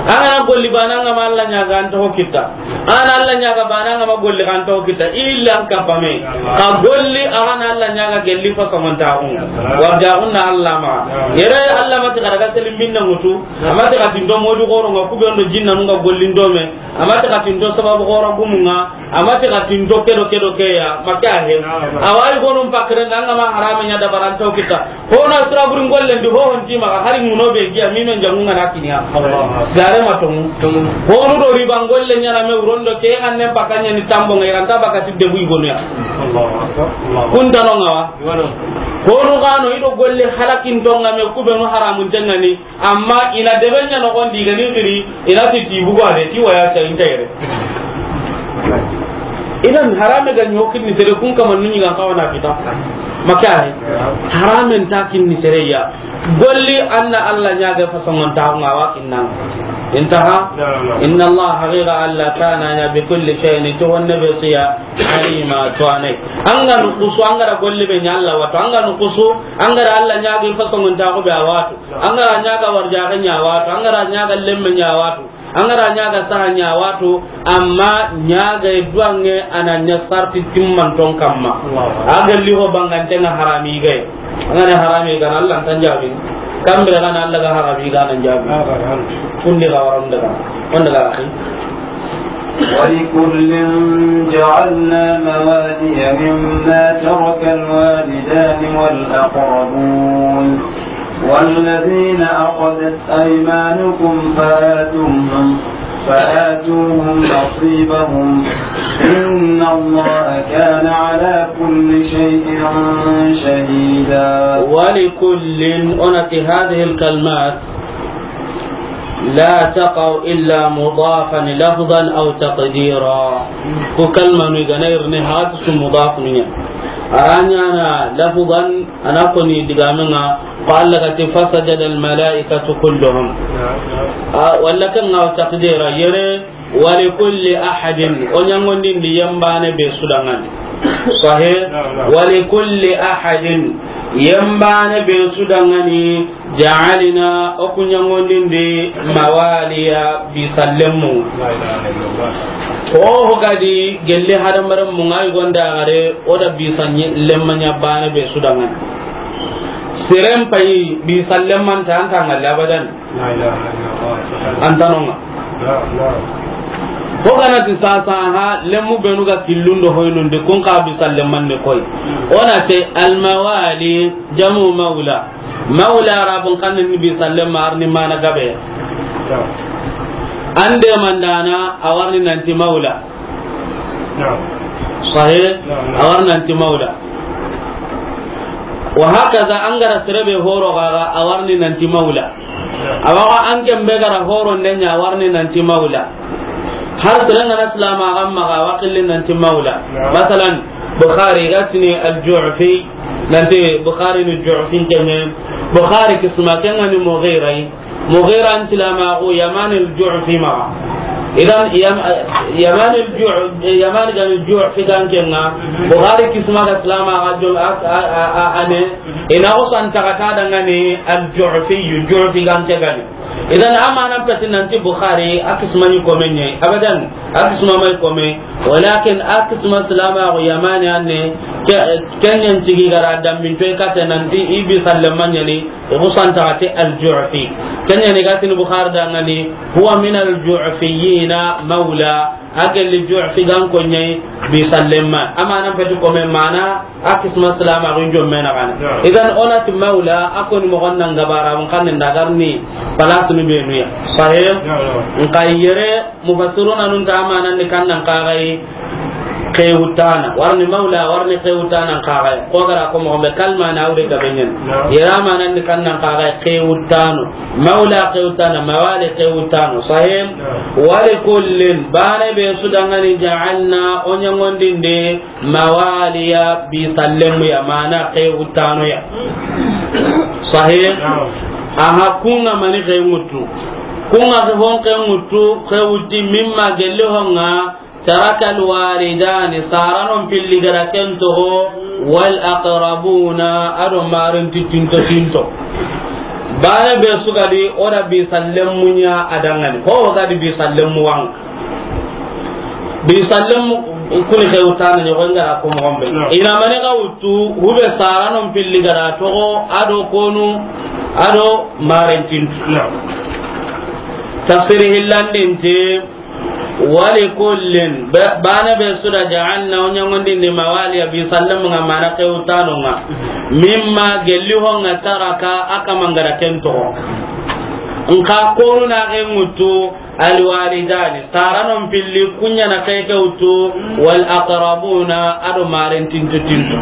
An gana golli bana nga ma Alla ɲaga an to kitta. An Alla ɲaga bana nga ma golli kan to kitta. Illa an kapame. Ka golli a gana Alla ɲaga gelli fasongontaxu. Warjaxun na Alla ma. Yere Alla ma ti kada ga selim minna mutu. A ma ti ka tinto modu goro nga kubendo jinna nga gollin dome. A ma ti ka tinto sababu goro gumunga. A ma ti ka tinto kedo kedo keya. Maka he. Awai gonum pakre nga ma harame ɲa da baranto kitta. Hono sira burin gollen di hohon ti maxa hari muno be giya mi men jamu ngana kiniya. Gare ma tongu. Hono do riba gollen ɲana me urondo ke an ne bakanya ni tambo ngai ranta baka tidde buy gonu ya. Kun tano ngawa. Hono gano ido golle halakin tonga me kubenu haramun tengani. Amma ina debe ɲa no gondi gani giri ina ti ti bugo ade ti waya ta intere. Idan harame ga ɲokin ni sere kun kama nuni ga kawana kita. Maka he. Haramen ta kin ni sere ya. Golli anna Alla ɲaga fasongontaxu nga wa kinnan. Intaha. Inna Allah haqiqa Alla kana ɲa bi kulli shay'in to wanne be siya alima to ane. Anga nukusu anga da golli be ɲa Alla wato anga nukusu anga da Alla ɲaga fasongontaxu be a wato. Anga da ɲaga warjaxe ɲa wato anga da ɲaga lemme ɲa wato. Angara ɲaga saha ɲa wato, amma ɲaga e duwange ana ɲa sarti timmanton kamma. Allahu akbar. A ga liho bangante nga harami gay. Angana harami gana Allah tan jabi. Kambira gana Allah ga harami gana jabi. Abadan. Kundi ga waram daga. Wanda ga akhi. ولكل جعلنا موالي مما ترك الوالدان والأقربون والذين أخذت أيمانكم فآتوهم، فآتوهم نصيبهم، إن الله كان على كل شيء شهيدا. ولكل، أنا في هذه الكلمات لا تقع إلا مضافا لفظا أو تقديرا. Ku kalmanu i ga na ri ne hati su mudaf ni ya. A ra ɲaana lafzan, a na ko ni digaamen ŋa, ko Allah ga ti, "Fasajada al-malaikatu kulluhum." A, walla kan ŋa taqdira yere, "Wa li kulli ahadin." O ɲaŋondindi yembaane be su danŋa ni. Sahih? Naam, naam. "Wa li kulli ahadin." Yembaane be su danŋa ni. Ja'alna, o ku ɲaŋondindi, mawaliya, bi sallenmu. La ilaha illallah. Ho ho ga di gelle hadamaren mu ŋa yi gonda gare, o da bisa lemma ɲa baane be su da ŋa ni. Seren payi bisa lemman ta an ta ŋa labadan. La ilaha illallah. An ta no ŋa. La, la. Ho ga na ti sasa ha lemmu benu ga killun do hoynun di kun ka bisa lemman ni koy. O na te al mawali jamu maula. Maula Arabun xannen ni bisa lemma arni mana gabe. An de mandana a warni nanti maula. Sahih? A warni nanti maula. Wa hakaza an ga ra sere be horo gaga a warni nanti maula. Awa an ken be ga ra horo ndenya a warni nanti maula. Har sere ŋa na silama ga maxa a wa xilli nanti maula. Masalan, Bukhari ga tini al-Ju'fi, nanti Bukhari ni Ju'fi kene. Bukhari kisma ken ŋa ni Mughira yi. Mughira n silamaxu Yaman al-Ju'fi maxa. Idan Yam-, Yaman al-Ju-, Yaman ga ni Ju'fi gan ken ŋa. Bukhari kisma ga silamaxa jom a, a, a, a, ane. Ina o san taga ta da ŋa ni al-Ju'fi, Ju'fi gan ke ga ni. Idan amanan peti nanti Bukhari a kisma ni kome ɲa yi. Abadan, a kisma may kome. Walakin a kisma silamaxu Yamani anne, ke-, kenyan tigi ga ra dammin toy kate nanti i bisa lemma ɲa ni, i ku san taga te al-Ju'fi. Kenyan ni ga tini Bukhari da ŋa ni, huwa min al-Ju'fiyina maula, a gelli Ju'fi gan ko ɲa yi bisa lemma. Amanan peti kome mana, a kisma silamaxu n jomme na gana. Idan o na ti maula, a ko ni moxon nan gabara, mun xannen da garni, palasunu benu ya. Sahih? Nka yere, mufassiruna nun ta amanan ni kannan kagai xewutana. Warni maula, warni xewutana kagai. Ko gara ko moxo be kalma na wure gabe ɲen. Yere amanan ni kannan kagai xewutano. Maula xewutana, mawali xewutano. Sahih? Wa li kullin, baane be su da ŋa ni ja'alna, o ɲangondinde, mawaliya, bisa lemmu ya, mana xewutano ya. Sahih? Aha, kun ŋa mani xewutu. Kun ŋa hon xewutu, xewuti mimma gelli hon ŋa, taraka al-walidani, saranon pilli ga ra ken toxo, wal aqrabuna, a do marin ti tinto tinto. Baane be su ga di, o da bisa lemmu ɲa a da ŋa ni. Ho ga di bisa lemmu wa ŋa. Bisa lemmu kuni xewutana ɲoxo n ga ra ko moxo be. Ina mani ga wutu, hube saranon pilli ga ra toxo, a do konu, a do marin tinto. Tafsiri hillandinte, Wa li kullin, ba-, baane be su da ja'alna, o ɲangondindi mawaliya bisa lemmu ŋa mana xewutano ŋa. Mimma gelli hon ŋa taraka a kaman ga ra ken toxo. Nka konu na xewutu al-walidani, saranon pilli kun ɲa na xewutu, wal aqrabuna, a do marin tinto tinto.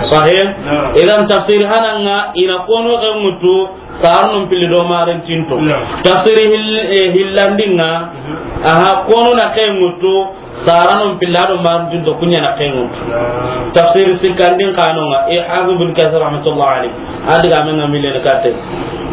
Sahih? Idan tafsir hanan ŋa ina konu xewutu, Saranon pilli do marin tinto. Tafsiri hil-, eh, hillandinga. Aha, konu na xewutu. Saranon pilli do marin tinto, kun ɲa na xewutu. Tafsiri sikkandin kanonga, eh, Hafiz bin Kathir rahmatullah alayhi. A diga men ŋa mille na katte.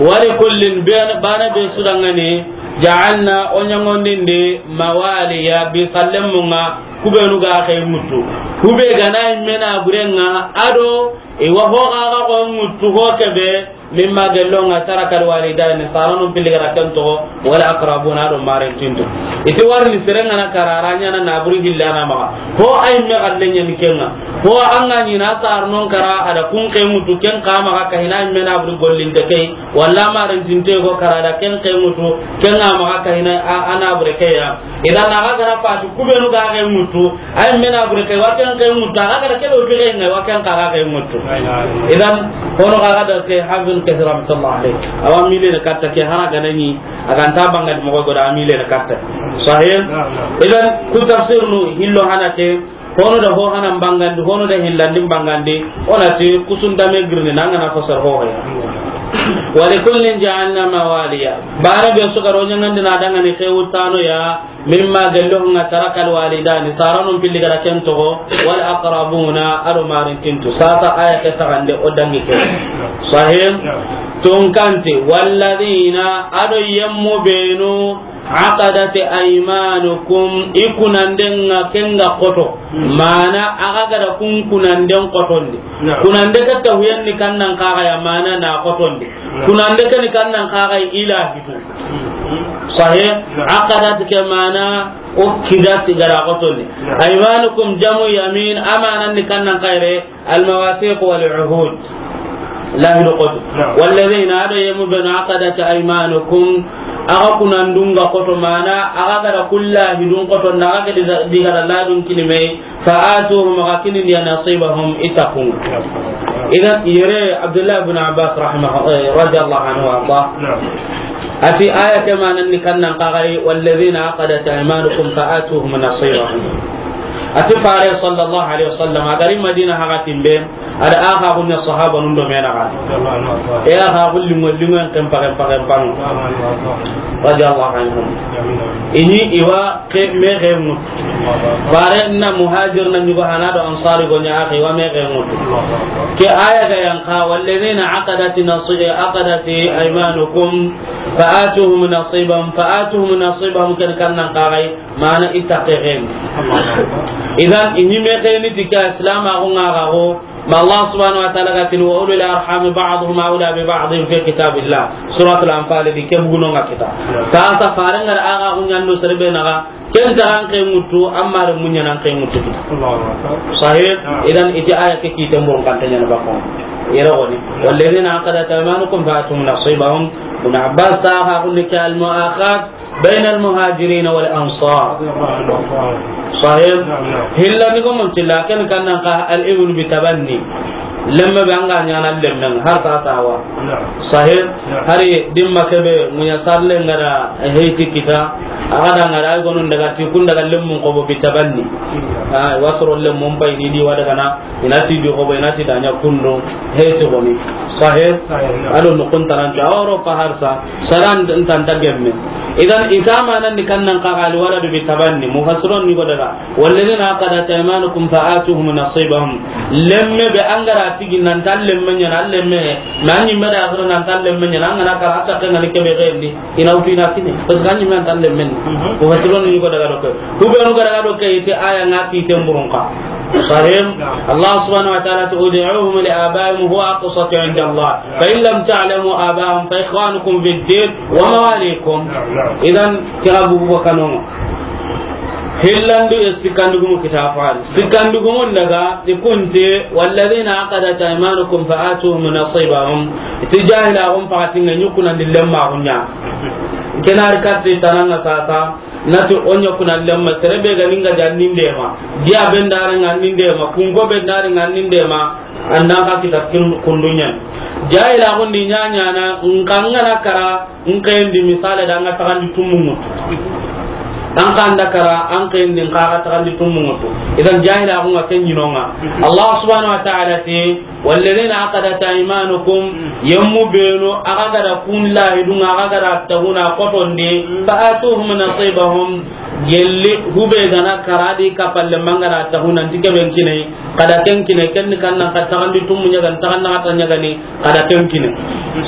Wa li kullin, baane be su da ŋa ni, ja'alna, o ɲangondinde, mawaliya, bisa lemmu ŋa, kubenu ga xewutu. Kube ga na i mena burenga, a do, i wa ho ga ga xewutu ho kebe, Mimma gello ŋa taraka al-walidani, saranon pilli ga ra ken toxo, wal aqrabuna, a do marin tinto. I ti warni sere ŋa na karara ɲa na naburi hillana maxa. Ho ay me galle ɲa ni ken ŋa. Ho an ga ɲi na saranon kara a da kun xewutu ken xa maxa ka hina me naburi gollinte key. Walla marin tinte go kara da ken xewutu ken ŋa maxa ka hina a, a nabure key ya. Idan a ga ra fati kubenu ga xewutu. Ay mena bure ke wa ken xewutu, a ga da ke do bire ngai wa ken ka ga xewutu. Idan, hono ga da ke Hafiz Kathir rahmatullah alayh. Awa mille na katta ke hana ga na ɲi, a ga nta bangandi moxo go da mille na katta. Sahih? Idan, ku tafsir nu hillo hana ke, hono da ho hana bangandi, hono da hillandi bangandi, o na ti kusun dame girni na ŋa na fasar ho ya. Wa li kullin ja'alna mawaliya. Baane be su ga ro ɲangandi na dangani xewutano ya, Mimma gello ŋa taraka al-walidani, saranon pilli ga ra ken toxo, wal aqrabuna, a do marin tinto. Sasa aya ke taxande o dangi ke. Sahih? Tonkante, walladina, a do yemmu benu, aqadat aymanukum, i kunanden ŋa ken ga xoto. Mana, a ga ga da kun kunanden xotondi. Kunande ke tahuyen ni kannan kaga ya mana na xotondi. Kunande ke ni kannan kaga ilahi. Sahih? Na'am. Aqadat ke mana o kida sigara xotondi. Na'am. Aymanukum jamu yamin, amanan ni kannan xayre, al mawathiq wal uhud. Lahidu xoto. Na'am. Walladhina, ado yemu benu, aqadat aymanukum, axa kunandunga xoto mana, axa gara kulla hidun xoto, na axa ke diga-, digara ladun kilimei, فآتوهم، xa kini ndi ya, نصيبهم، i taqun. Idan, yere Abdullah ibn Abbas rahimah-, eh, radiyallahu anhu wa arda. Na'am. Ati aya ke manan ni kannan xaxay, والذين عقدت أيمانكم فآتوهم نصيبهم. Ati Fare sallallahu alaihi wasallam, a gari Madina haga timbe, ada axa gunya sahaba nun do mena ga. E axa gulli mo lingo en kempa, kempa, kempa. Radiyallahu anhum. Ini iwa ke me ke ŋutu. Fare na muhajir na nyugo hana do ansari go nya axa iwa me ke ŋutu. Ke aya ga yanqa, والذين عقدت نصي-، عقدت أيمانكم فآتوهم نصيبهم، فآتوهم نصيبهم ken kannan xaxay, mana i taqe ken. Idan, ini me ke ni tika Islam a go ŋa ga go, Ma Allah subhanahu wa ta'ala ga tini, وأولو الأرحام بعضهم أولى ببعض في كتاب الله. Suratul Anfal di ke buguno nga kita. Sasa farenga da aga kunyando serbe naga, ken ta an ke ŋutu, amma re munya nan ke ŋutu kita. Allahu Akbar. Sahih? Na'am. Idan iti aya ke kite mbon kan tanya na bakon. Yere woni. والذين عقدت أيمانكم فآتوهم نصيبهم. Ibn Abbas ta ha kulli kal mu'akhad بين المهاجرين والأنصار. Sahih? Na'am, na'am. Hilla ni ko mun tilla ken kannan ka al ibnu bi tabanni. Lemme be anga nyana lemmen har ta tawa. Na'am. Sahih? Na'am. Hari dimma kebe munya sarle ngara heiti kita. Aga da ngara ay gonun daga ti kun daga lemmun ko bo bi tabanni. Na'am. Ah, wasoro lemmun bay ni di wada kana. Inati di xobo, inati da nya kundo, he to goni. Sahih? Sahih, na'am. Ado no kuntanan to Europa harsa, saran tanta gemme. Idan itama nan ni kannan ka gali wala do bi tabanni, mufassirun ni go daga. والذين عقدت أيمانكم فآتوهم نصيبهم. Lemme be angara tigi nan tan lemme nya, lemme, man ni me da nan tan lemme nya, nan na ka ta kan ni kebe gendi. Ina wutu ina kine. Parce que an ni men tan lemmen. Mhm. Ko fasilon ni ko daga doke. Ku be no daga doke ite aya nga ki temburun ka. Sahih? Na'am. Allah subhanahu wa ta'ala, ادعوهم لآبائهم هو أقسط عند الله. فإن لم تعلموا آباءهم فإخوانكم في الدين ومواليكم. Na'am, na'am. Idan kira bugu kanongo. Hillandi e sikandugumu kita fari. Sikandugumu daga ikunte, والذين عقدت أيمانكم فآتوهم نصيبهم. Iti jahila gum pakatinga nyukuna ndi lemma gunya. Kenari katti tananga sasa, nati onya kuna lemma, terebe ga ninga jannin dema. Dia bendare ngannin dema, kungo bendare ngannin dema, annan ka kita kin-, kundunya. Jahila gundi nyanya na, nkangana kara, nkendi misale da nga tagandi tumungu. An kanda kara, an kendi nkaga tagandi tumungu. Idan jahila gunga kenyinonga. Allah subhanahu wa ta'ala ti, والذين عقدت أيمانكم، yemmu benu, aga gada kun lahidunga, aga gada tahuna kotonde, فآتوهم نصيبهم، gelli, hube gana karadi kapalle mangana tahuna, ntike ben kine, kada ken kine, ken kannan ka tagandi tumu nyagan, taganna kata nyagani, kada ken kine.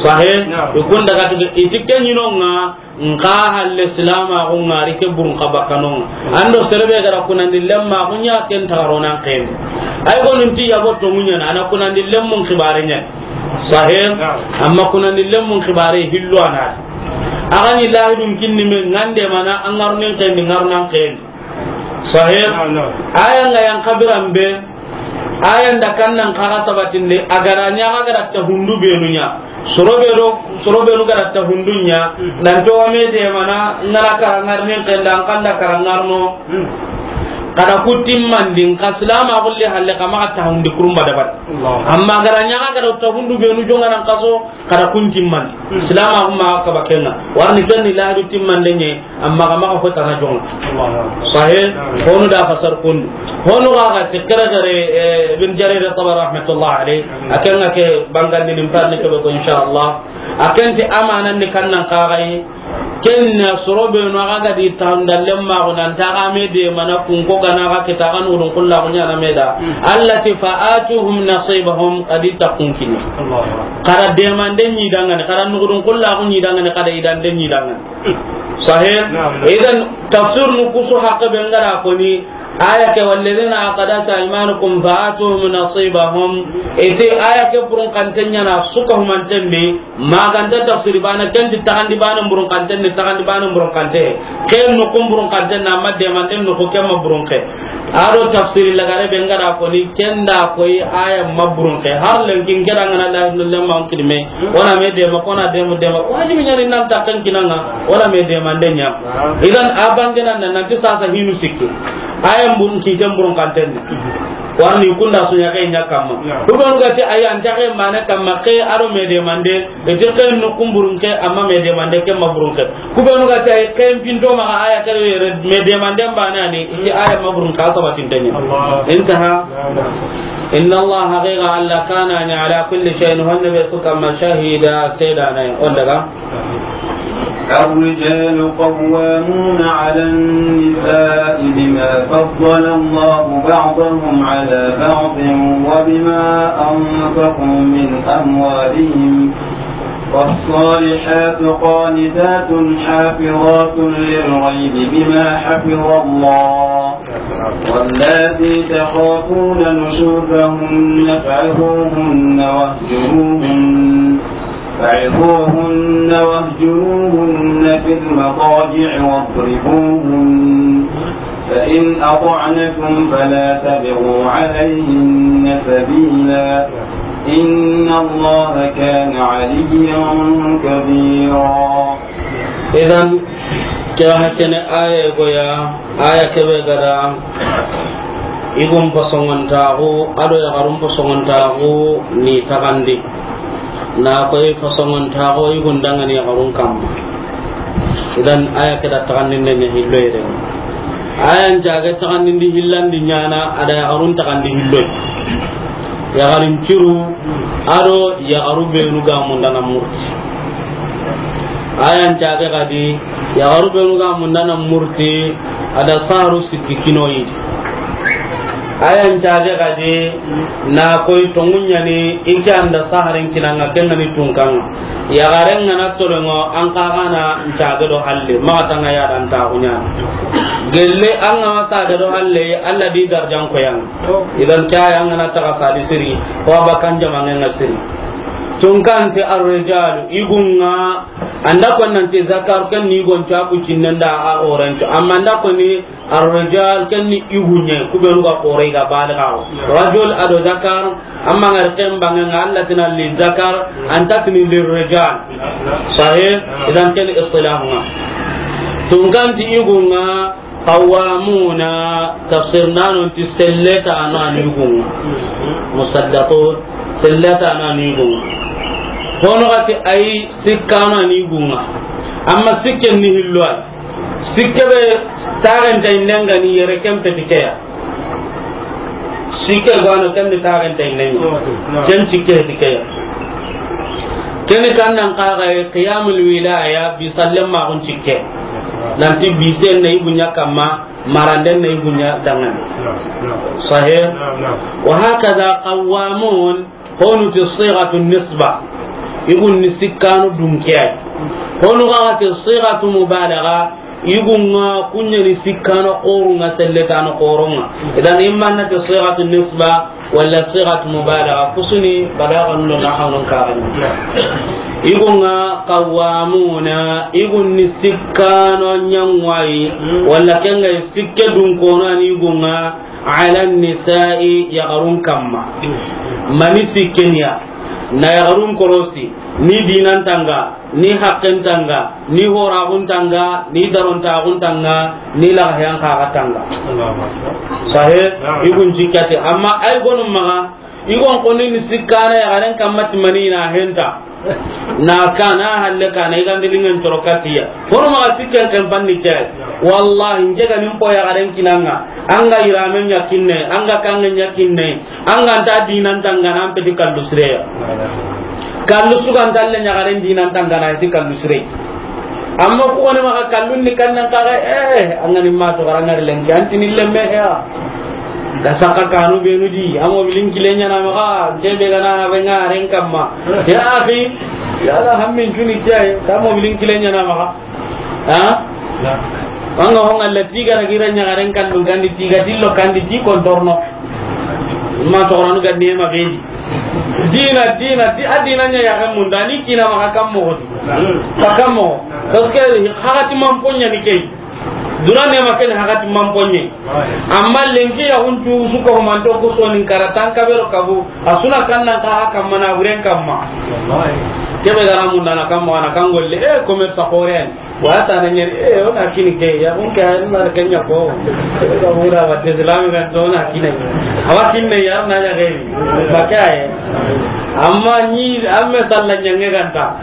Sahih? Na'am. Ikunda katu iti kenyinonga, nka halle silama ko ngari ke burun ka bakkanonga. Ando serebe gara kunandi lemma kunya ken taronan ken. Ay gonun ti yabo to munya na, ana kunandi lemmun kibare nya. Sahih? Na'am. Amma kunandi lemmun kibare hillo ana. Agani lahidun kinni me ngande mana angarnen ken ngarnan ken. Sahih? Na'am, na'am. Aya nga yang kabiran be, aya nda kannan kaga sabatinde, agara nya agara ta hundu benunya. Sorobe do, sorobe nu gara ta hundunya, nan to wame de mana, ngara karangar nin kenda, an kanda karangar no. Hmm. Kada kutimmandi, nka silama gulle halle kama ta hundi kurumba dabat. Allah. Amma agara nya agara ta hundu benu jonga nan kaso, kada kun timmandi. Hmm. Silama kuma ka bakenga. Warni kenni ladu timmande nye, amma ga maxa fo tana jonga. Allahu Akbar. Sahih? Na'am. Honu da fasar kun. Honu ga ga ti kare kare, eh, Ibn Jarir Tabari rahmatullah alayh. Amin. Akan ga ke bangandi nim parni ke ko insha Allah. Akan ti amanan ni kannan kagai. Kenna sorobe no aga di tanda lemma ko nan ta ga me de mana kun ko gana ga kita kan urun kullu ko nyana me da. Hmm. Allah ti fa'atuhum nasibahum, kadi ta kun kini. Allahu Akbar. Kada demande nyi dangane, kada nugudun kullu ko nyi dangane, kada idande nyi dangane. Sahih? Na'am, na'am. Idan tafsir nu kusu haqqe be ngara ko ni, Aya ke, "Walladhina aqadat aymanukum fa'atuhum nasibahum." Iti aya ke burun kanten ɲa na suka humanten di, maganta tafsiri bana, ken ti taxandi bana burun kanten di, taxandi bana burun kante. Ken nukun burun kanten na, amma demanden nuku ken ma burun ke. Ado tafsiri lagare be ngara ko ni ken da koyi aya ma burun ke. Har lenkin keda ngana la lemma on kidme. Wala me dema, kona dema, dema. Wajibi ɲa ni nan ta kan kinanga. Wala me demanden ɲa. Idan a bangenan nan ti sasa hinu sikki. Aya burun ki ken burun kanten di. Warni kunda sunya ke ɲa kamma. Ku be nu ga ti aya an ta ke mane kamma ke aro me demande. Iti ken nukun burun ke, amma me demande ke ma burun ke. Ku be nu ga ti ken pinto ma aya ke yere me demande bana ni, iti aya ma burun ka sabatin tanya. Allah. Intaha. Inna Allah, haqiqa Allah, kana ni ala kulli shay'in, honne be su kamma, shahida, seedana. On daga. الرجال قوامون على النساء بما فضل الله بعضهم على بعض وبما أنفقوا من أموالهم. فالصالحات قانتات حافظات للغيب بما حفظ الله. واللاتي تخافون نشوزهن فعظوهن واهجروهن، فعظوهن واهجروهن في المضاجع واضربوهن، فإن أطعنكم فلا تبغوا عليهن سبيلا، إن الله كان عليا كبيرا. Idan, ke hakene aya goya, aya kebe gada, igun pasongontaxu, ado yaxarun pasongontaxu ni taxandi. Na koy pasongontaxu, igun dangani yaxarun kamma. Idan, aya keda taxandinde ɲa hillo yere. Aya ncage taxandindi hillandi ɲana, ada yaxarun taxandi hillo. Yaxarin ciru, ado yaxaru benu ga mundana murti. Ayan cage gadi, yaxaru benu ga mundana murti, ada saru sikki kinoyi. Ayan cage gadi, na koy tongu ɲani, ike anda saharen kinanga, kengani tunkanga. Yaxaren ngana tolongo, an kagana ncage do halle, maxa tanga ya dan taxu ɲana. Gelle an ga ma sage do halle, Allah di darjan koyanga. Idan kaya an gana taga sadi siri, ko abakan jamangen nga siri. Tunkanti ar-rijalu, igunga, anda ko nanti zakar ken ni gon ta ku cinnenda a oranto, amma anda ko ni ar-rijal ken ni igunye, ku be ruga kore ga baliga. Rajul ado zakar, amma ngar ken bangenga Allah tina li zakar, anta tini li rijal. Sahih, idan ken istilahunga. Tunkanti igunga, Qawwamuna, tafsir nano nti selle tano ani gunga. Musaddaqun, selle tano ani gunga. Hono gati ay sikkano ani gunga. Amma sikken ni hillo ay. Sikke be taxenta innenga ni yere ken peti keya. Sikke gano ken ni taxenta innenga. Ken sikke heti keya. Keni kannan kaga qiyamul wilaya bi sallem ma gun sikke. Nanti bisen na igu ɲa kamma, maranden na igu ɲa dangana. Sahih? Wa hakaza qawwamun, honu ti sighatu nisba. Igun ni sikkanu dunke ay. Honu ga ti sighatu mubalagha, igunga kunya ni sikkanu qorunga, selletanu qoronga. Idan imma na ti sighatu nisba, wala sighatu mubalagha, kusuni balagha nulo na hawnon karani. Igunga qawwamuna, igun ni sikkano ɲangwayi, wala kenga sikke dunkono ani igunga, ala nisa'i, yaxarun kamma. Mani sikkenya, na yaxarun korosi, ni dinantanga, ni haqqentanga, ni horaxuntanga, ni darontaxuntanga, ni laxayan kaxatanga. Allahu Akbar. Sahe, naam, igun jikkate. Amma ay gonu maxa, igon koni ni sikkana yaxaren kamma ti mani na henta. Na kana halle kana igandi lingen toro katiya. Kono maxa sikken ken panni ke. Wallahi, njega nim po yaxaren kinanga. Anga iramen ɲa kinne, anga kangen ɲa kinne. An ga nta dinan tangana, an peti kallu sireya. Kallu su ga nta le ɲagaren dinan tangana, iti kallu sire. Amma ku woni maxa kallun ni kannan kaga, eh, an ga ni ma to garanga lenki, an tini lemme ya. Da saka kanu benu di, an mobilin kile ɲana maxa, kebe gana renga ren kamma. Ya akhi, ya la hammin tuni kiyai, ta mobilin kile ɲana maxa. Ha? Na. An ga ho ŋa la, ti ga na gira ɲaxaren kallun kandi, ti ga tillo kandi, ti kontorno. Ma toxoranu ga ni ma bedi. Dina, dina, di-, a dina ɲa yaxen munda, ni kina maxa kan moxo di. Xa kan moxo. Parce que hakati man ponya ni key. Duna ne ma ken hakati man ponye. Amma lenki ya huntu suko manto ko sonin karatan kabero kabu. A suna kannan ka haka mana buren kamma. Kebe gara munda na kamma na kan golle. Eh, commerce koren. Wa ta na ɲeri, eh, o na kini ke, ya kun ke, na ke ɲa ko. Ka hura wa te Islam ga to na kini. Awa kinne ya na ya gari. Ba ka ye. Amma ni, amme salla ɲange ganta.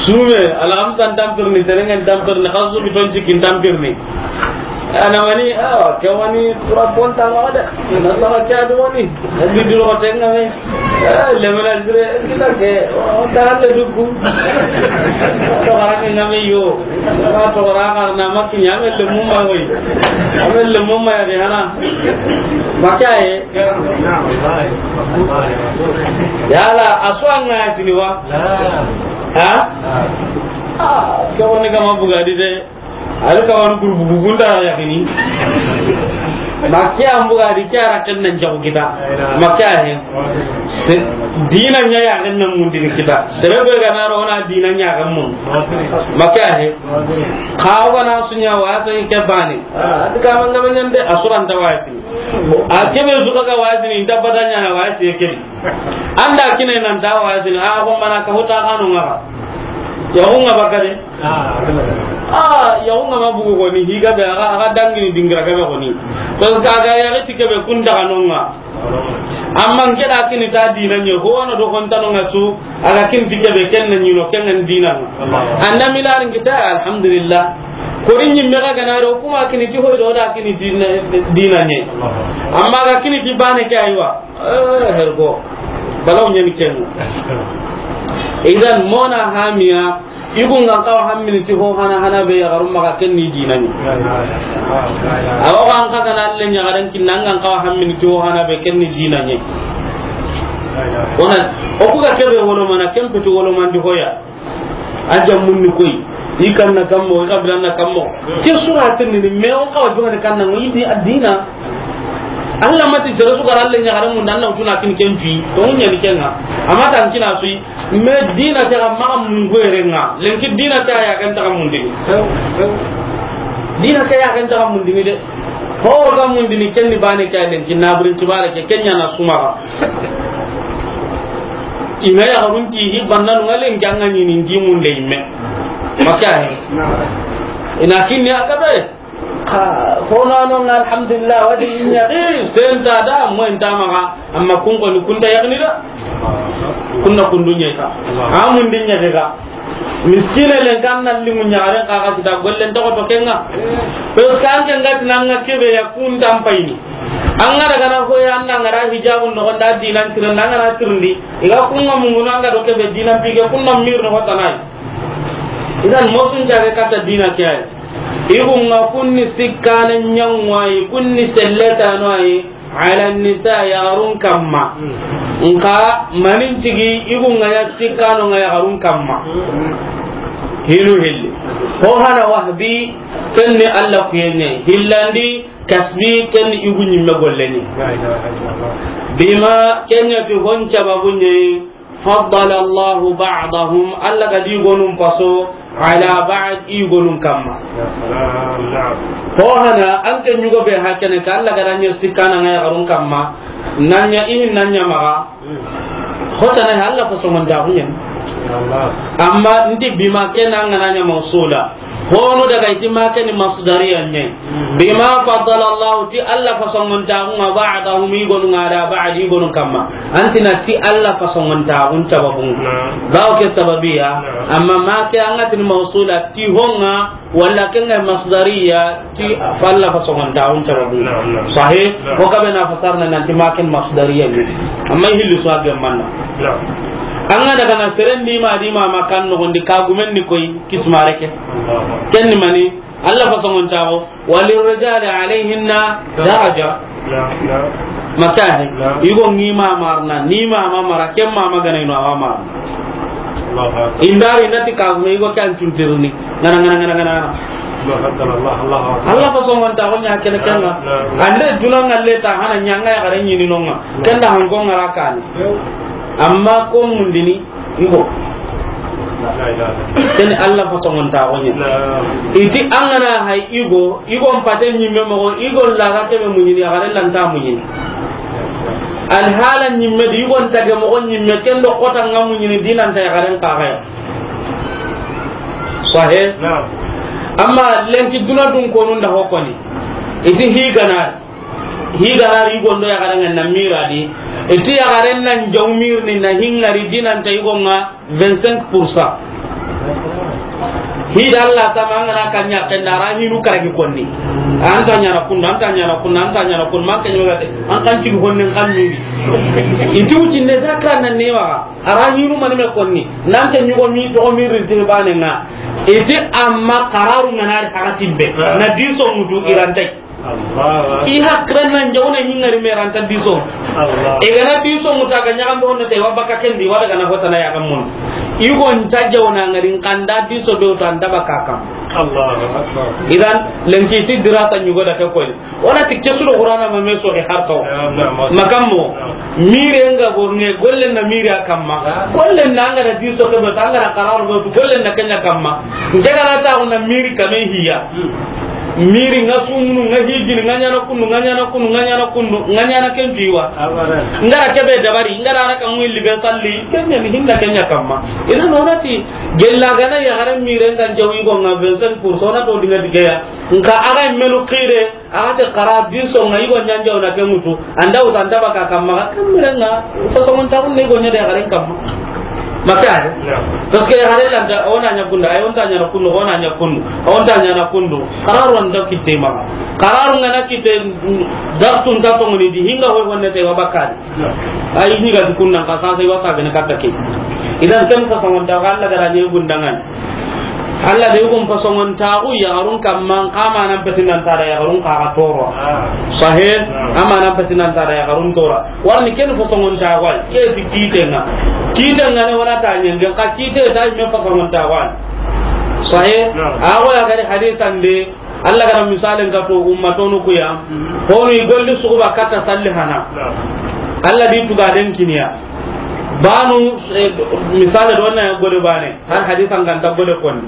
Sume, alhamsan tampirni, serengen tampirni, xasu biton cikin tampirni. Ana wani, ah, ke wani, tura ponta la de. Na la ke adu wani. Bi duro tenga me. Eh, le mena dire, kita ke, o ta le duku. To garanga ngame yo. Ka to garanga na makki ɲame le mumma hoy. Ame le mumma ya de hana. Makaye. Yala, a su an ga ya tini wa? Ha? Ah, ke woni kama bugadi de. Ari ka wani groupe gugunda ya kini. Ma ke an bugadi ke ara ken nan jago kita. Ma ke he. Dina ɲa ya ken nan mundini kita. Sere be ga na ro na dina ɲa kan mun. Ma ke he. Ka o ga na sunya wa so ke bani. Ah, ka man ga man de asuran ta wa. A kebe su ka wazi ni, dabba da ɲa na wazi ke. Anda kine nan da wazi ni, a ko mana ka huta kanu ngara. Ya hunga bakare. Ah, ya hunga ma bugu ko ni, higa be aga, aga dangi ni dingira ke be ko ni. To ka ga ya ti ke be kun da kanu nga. Amma nke da kini ta dina ɲe, ho no do kon tanu nga su, aga kin ti ke be ken na ɲi no, ken ngan dina. Anda milarin kita, alhamdulillah. Kori ɲimme ga gana do kuma kini ti hoy do da kini dina, dina ɲe. Amma ga kini ti bane ke aywa. Eh, hergo. Balaw ɲani ken. Idan mona hamiya, igu ngan kawa hammini ti ho hana hana be ya garum maga ken ni dina ɲe. Awa ko an ka gana alle ɲa garan kin nan ngan kawa hammini ti ho hana be ken ni dina ɲe. Ona, o ku ga kebe wolo mana ken petu wolo mandi hoya. A jammun ni koy, i kan na kammo, i kabilan na kammo. Ke sura tin ni, me o kawa jumane kan na, i di adina. Allah mati jere su garalle ɲa garan mun dan na utuna kin ken fi. To mun ɲani kenga. Amma tan kina sui, me dina ke ga maga mun goyere nga. Lenki dina ke ya kan ta mundini. Dina ke ya kan ta mundini de. Ho ga mundini ken ni bane ke lenki na burin tibare ke ken ɲa na suma. Ina ya garun ti hi banna no ngalen janga ni ni ndi mun de imme. Maka he. Ina kinni akabe. Ka, ko na no nga alhamdulillah, wadi inya, eh, senta da, mo enta maga, amma kun ko ni kun ta yagni da. Kunna kundu ɲe ka. Amun dinya ke ga. Miskine len kan nan limu ɲaxaren xa ga kita gollen toxo to kenga. Parce que an ke nga ti nan nga kebe ya kun tampayini. An ga daga na ko ya an da nga ra hijabun no da dinan tiran nan nga na tirndi. I ga kun nga mungunu an ga do kebe dinan pige kun na mir no hotanai. Idan mosun jage kata dina ke ay. Igu nga kunni sikkana ɲanwayi, kunni selletano ayi. Ala nisa, yaxarun kamma. Nka manin tigi, igu nga ya sikkano nga yaxarun kamma. Hinu hilli. Ho hana wahbi, kenni Allah kuyenye. Hillandi, kasbi, kenni igu ɲimme golleni. Bima, kenya fi hon sababu nye, faddala Allahu ba'dahum, Allah ga di gonun paso, ala ba'd, i gonun kamma. Ho hana, an ke ɲugo be hakene ka Allah ga danya sikkana nga yaxarun kamma, nanya ihin nanya maga. Hotana he Allah ko songon da hunyen. Amma ndi bima kena nga nanya mausula. Hono daga iti ma keni masdariya ne. Bima faddala Allah, ti Allah fasongontaxu nga ba'dahum, i gonu nga, ala ba'd, i gonu kamma. Antina ti Allah fasongontaxun sababun. Bawo ke sababiya, amma ma ke anga tini mausula ti honga, wala ke nga masdariya ti Allah fasongontaxun sababun. Sahih? Ko kabe na fasarna nanti ma ken masdariya ni. Amma hilli so a gemmanna. Anga daga na serendi ma di ma makan no gondi ka gumen ni koy kismare ke. Ken ni mani? Allah fasongontaxu, walirrijali alayhinna daraja. Makahe, igo ngi ma marna, ni ma ma mara, kem ma ma gana ino awa marna. Indari nati ka me igo kan tuntirni. Ngana, ngana, ngana, ngana, ngana. Allah fasongontaxu ña kene kenga. Ande duna ngalle ta hana ñanga yaxare ñini nonga. Kenda hanko ngara kani. Amma ko mundini igo. Kene Allah fasongontaxu ña. Iti angana hay igo, igo mpate ñimme moxo, igo laga kebe muñini, yaxare lanta muñini. Alhala ñimme di, igo ntage moxo ñimme, kendo kota nga muñini, dinanta yaxaren kaxaya. Sahe. Naam. Amma lenki duna dun konu nda hokoni. Iti higana, higana ri gondo yaxaren na mira di. Iti yaxaren nan jaw mirni na hingari dinanta igonga vingt-cinq pour cent. Hida Allah ta mangana kanya kenda ra hinu karagi konni. Anta ñana kundu, anta ñana kundu, anta ñana kundu, man kanyo gate. An kan ci honne kan miri. Iti uti ne zakra nan ne wa. Ara ñunu mani me konni. Nan ke ñugo mi to mi rinti bane nga. Iti amma qararu nganari hakatimbe. Na diso mutu irante. Allah. I hakran nan jawna ñingari me ranta diso. Allah. E gana diso muta ga ñaga ndo na te wa baka kendi wa daga na hotana ya gamun. Igo nta jawna ngari kanda diso do to anda baka kam. Allahu akbar. Idan lenki ti dirata ñugo da ke koy. Wala ti kesu do Qur'ana ma me so e harto. Makammo. Mire nga borne golle na mire akamma. Golle na nga da diso ke be ta nga da qararu be golle na kenya kamma. Nge da ta na mire kame hiya. Miri nga sumunu, nga hijini, nga ñana kundu, nga ñana kundu, nga ñana kundu, nga ñana ken piwa. Nga ra kebe dabari, nga ra ka ngui libe salli, kenya ni hinda kenya kamma. Ina nonati gella gana yaxare mire ngan jawi go nga vingt-cinq pour cent na to dinga digeya. Nka aga menu qire, aga te qara diso nga igo ñanja ona ke mutu. Anda uta anda baka kamma, kammirenga, uta songontaxu ne go ña de yaxaren kamma. Maka ay? Naam. Parce que yaxare lanta, ona ña kundu, ay onta ñana kundu, ona ña kundu, onta ñana kundu. Qararu anta kitte maxa. Qararu ngana kitte, mm, dartu nta tongoni di, hinga hoy honne te wa bakadi. Naam. Ay ni ga kunna ka sa sai wasa gene katta ke. Idan ken ka songontaxu Allah gara ne gundangan. Allah de yugun fasongontaxu yaxarun kamma, xa manan petinanta da yaxarun xa xa toro. Ah. Sahe. Ah. A manan petinanta da yaxarun tora. Warni ken fasongontaxu ay, ke fi kitenga. Kitenga ne wala ta ñenge, xa kite ta me fasongontaxu ay. Sahe. Ah. A go ya gari hadisan de, Allah gara misalen ka to ummatonu kuya. Hmm. Honu i golli suguba katta salli hana. Ah. Allah di tuga den kiniya. Banu, eh, misale do na gode bane, har hadisan kan ta gode kon.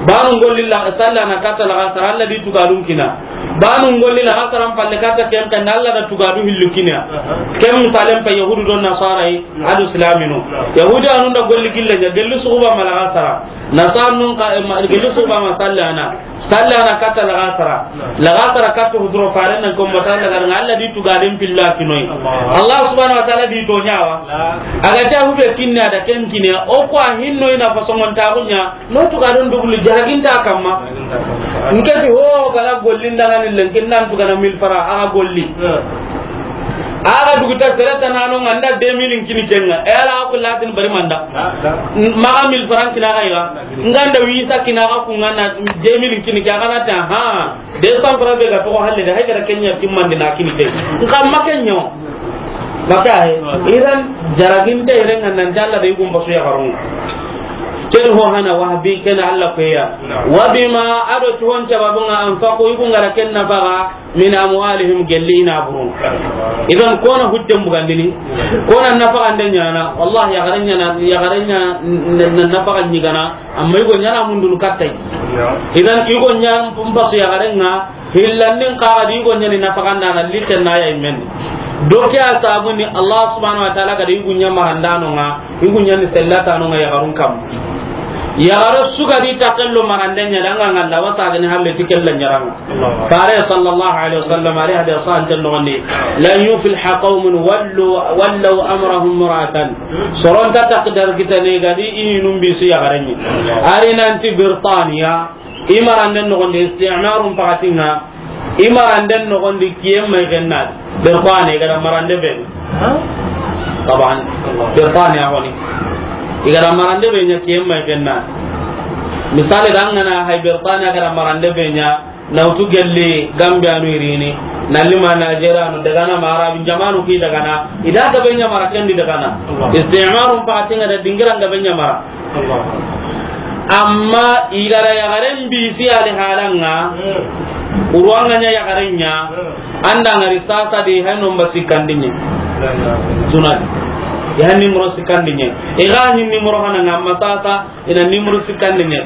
Banu ngolli la salla na kata la gasara, Allah di tugadun kina. Banu ngolli la gasara palle kata ken kan, Allah da tugadu hillu kina. Aha. Ken misalen pa Yahudu do Nasara yi, adu Islaminu. Yahudi anun da golli gilla ja, gelli suguba ma la gasara. Nasara nun ka, eh, ma, gelli suguba ma sallana. Salla na katta lagasara. Lagasara katta huduro faren nan ko mata lagar nga Allah di tugaden pilla kinoy. Allah. Allah subhanahu wa ta'ala di to ñawa. La. Aga ta hube kinna da ken kine o ko hinno ina fasongontaxu ña. No tugadon dubulu jaraginta kamma. Jaraginta kamma. Nke ti ho gala gollin da ngani len kinnan tugana mille francs aga golli. Hmm. Aga duguta sereta nano nganda deux mille kini kenga. E ala ko latin bari manda. Ah, ah. Maga mille francs kina ga iga. Nganda wisa kina ga ku ngana deux mille kini ke, a gana ta, ha, deux cents francs be ga to halle da, hay gara kenya timmandi na kini ke. Nka makenyo. Maka he. Iran jaraginte iran nan jalla da yugun basu ya harun. Ken ho hana wahbi ken Allah ko ya. Wa bima ado tuhon sababun anfaqu yugun gara ken na baga. Min amwalihim, gelli i na burun. Idan kona hujjan bugandini, kona nafaxande ñana, wallahi yaxare ñana, yaxare ña n-, n-, nafaxa ñigana, amma yugo ñana mundunu kattay. Idan yugo ña mbasu yaxare nga, hillandin kaxa di yugo ñani nafaxandana, litten na ya immen. Doke a sabuni Allah subhanahu wa ta'ala gada yugo ña marandano nga, yugo ñani sellatano nga yaxarun kam. Yaxare sugadi takello marande ña danga ngalla wasagani halle tikella ñaranga. Fare sallallahu alaihi wasallam, ari hadisa anten nogondi, "Lan yufliha qaumun wallu, wallaw amrahum imra'atan." Soronta takdar kitane gadi ini numbi su yagarenni. Ari nanti Birtaniya, i maranden nogondi istimarum pakatinga, i maranden nogondi kiyen may gennadi. Birtaniya gada marande be. Taban, Birtaniya honi. I gada marande be ña kiyen may genna. Misali dangana hay Birtaniya gada marande be ña, na wutu gelli Gambia nu irini, na lima Nigeria nu, daga na mara bin jamanu ki daga na, ida ga be ña mara kendi daga na. Istimarum pakatinga da dingira ga be ña mara. Amma i ga da yaxaren bisi ali halanga, hmm, uruwanga ɲa yaxaren ɲa, hmm, an da ŋari sasa de, hay nomba sikkandi ɲa. La ilaha illallah. Tunadi. Ya nimero sikkandi ɲa. I ga ni nimero hananga, amma sasa i na nimero sikkandi ɲa.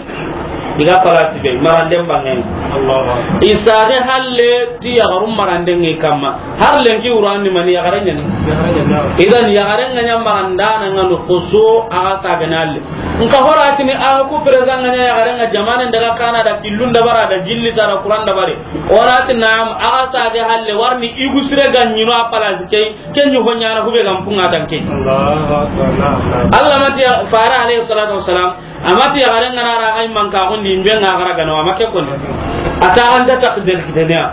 I ga palasi be, maranden bangen. Allahu akbar. I sage halle ti yaxaru maranden ŋe kamma. Har lenki wurandi mani yaxare ɲani. Yaxare ɲani, naam. Idan yaxare ŋa ɲa marandana ŋa no xoso a ga sagene alle. Nka hora tini a ku président ŋa ɲa yaxare ŋa jamane daga kana da killun da bara da jilli tara kuran da bare. Ora ti naam, a ga sage halle warni igu sire ga ɲino a palasi key, ken ɲi ho ɲana hube ga mpunga tanke. Allahu akbar, naam, naam. Allah mati ya fara alayhi salatu wassalam. Amati yaxaren ŋa na ra ay manka xundi mbe ŋa xara gano, ama ke koni. A ta an ta tak del kitenya.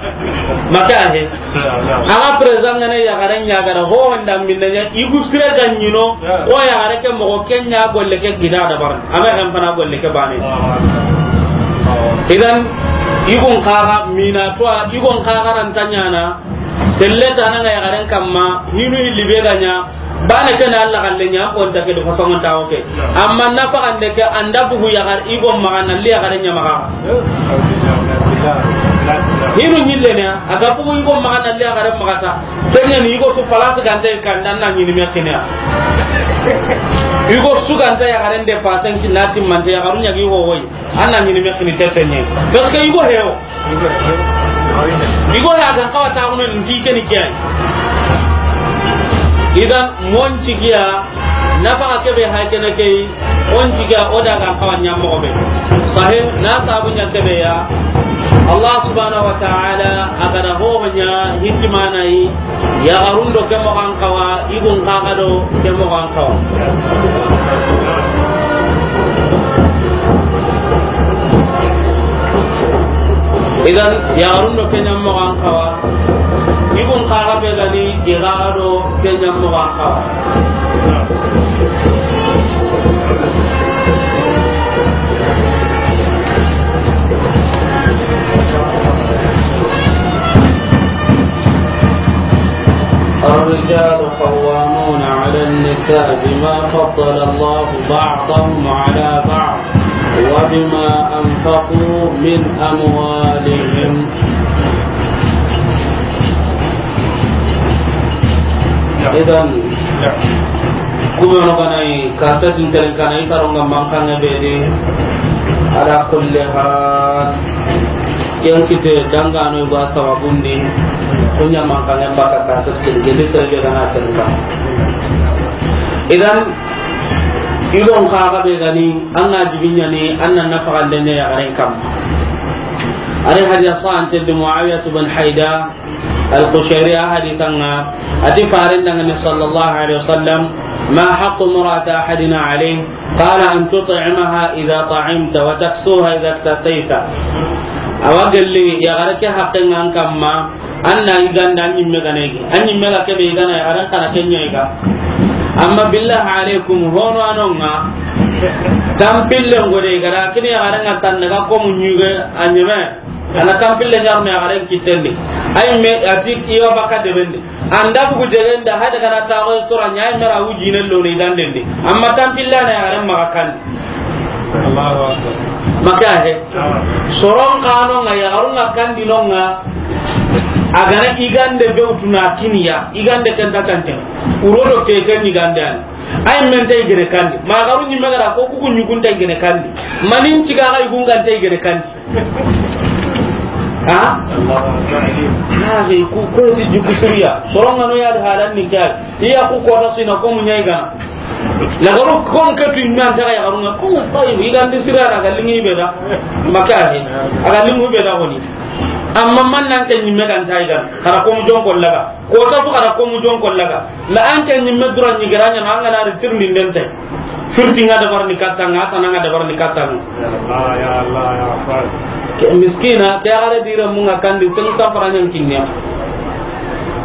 Maka he. Aga président ŋa ne yaxaren ɲa gara ho honda minne ɲa igu sire ga ɲino. O yaxare ke moxo ke ɲa golle ke gida da bar. Ama kan fana golle ke bane. Idan igun xaga mina to igun xaga ran tanyana. Selle tana ŋa yaxaren kamma hinu hilli be ga ɲa. Bana ke na Allah galle ɲa ko nta ke do façon ta oke. Amma na fa ande ke anda bugu yaxar igo maxa na li yaxare ɲa maxa. Hinu ɲille ne a ga bugu igo maxa na li yaxare maxa ta. Kenya ni igo su place gante kan dan na ɲini me kenya. Igo su gante yaxare nde pasen ki na timmante yaxaru ɲa gi ho woy. An na ɲini me kini tete ɲe. Parce que igo hewo. Igo ya ga xawa ta kuno ndi ke ni kiyai. Idan mon cigiya na fa ke be hay kene kay on cigiya o da ga xawa ɲa mo be. Sahe na sabu ɲa ke be ya. Allah subhanahu wa ta'ala a ga da ho ɲa hikima na yi. Yaxarun do ke moxo an xawa, igun xaxa do ke moxo an xawa. Idan, yaxarun do ke ɲa moxo an xawa, igun xaxa be ga ni, i xaxa do ke ɲa moxo an xawa. الرجال قوامون على النساء بما فضل الله بعضهم على بعض وبما أنفقوا من أموالهم. Idan, ku be no ga na yi, ka ta tin telen ka na yi, ka ro nga mankanŋe be di. Ala kulli hal, ken kite dangano ba sababundi, ku ɲa mankanŋe ba ka ta tin telen, gedi tere be ga na telen ka. Idan, igon xaxa be ga ni, an na jibi ɲa ni, an na nafaxande ɲa yaxaren kamma. Ari hadiya sa ante di Muawiyatu bin Hayda, Al-Qushayri a hadisan ŋa, a ti faren danŋa ni sallallahu alaihi wasallam, ما حق امرأة أحدنا عليه؟ قال أن تطعمها إذا طعمت وتكسوها إذا اكتسيت. Awa gelli yaxare ke haqqen ŋa an kamma, an na yigande an ɲimme ga na yigi. An ɲimme ga ke be yigana yaxaren xa na ke ɲa yiga. Amma billahi alaikum, hono a no ŋa, tampille ngode ga da kini yaxaren ŋa tan daga ko mu ɲuge a ɲeme. A na tampille ɲarne yaxaren kitten di. Ay me a ti i wa baka deben di. An da bugu deben di, hada ga na taxo sora ɲa, ay me ra wujine lo ni danden di. Amma tampille na yaxaren maxa kandi. Allahu akbar. Maka he. Soron xa no ŋa yaxarun ŋa kandi no ŋa. A ga na yigande be wutuna kiniya, yigande ken ta tante. Uro do ke ken yigande an. Ay men tay gene kandi. Ma yaxarun ɲimme ga da ko ku ku ɲugun tay gene kandi. Manin ciga ga yugun gan tay gene kandi. Ha? Allahu akbar. Ha, be ku ko ti juku suriya. Soron ŋa no ya da halan ni kya. Iya ku ko ta sina ko mu ɲa yiga. La garu ko ke tu nan ta ya garu na ko tayi, yigande sira na ga lingi be da. Maka he. A ga lingu be da ko ni. Amma man nan ke ɲimme gan tay ga. Kara ko mu jon ko laga. Ko ta fu kara ko mu jon ko laga. La an ke ɲimme dura ni gara ɲa na an ga na ri tirni den tay. Firti ŋa dabar ni katta ŋa, tana ŋa dabar ni katta ŋa. Ya Allah, ya Allah, ya Allah. Ke miskina, ke agare dira mu ŋa kandi, sen safara ɲan kinne.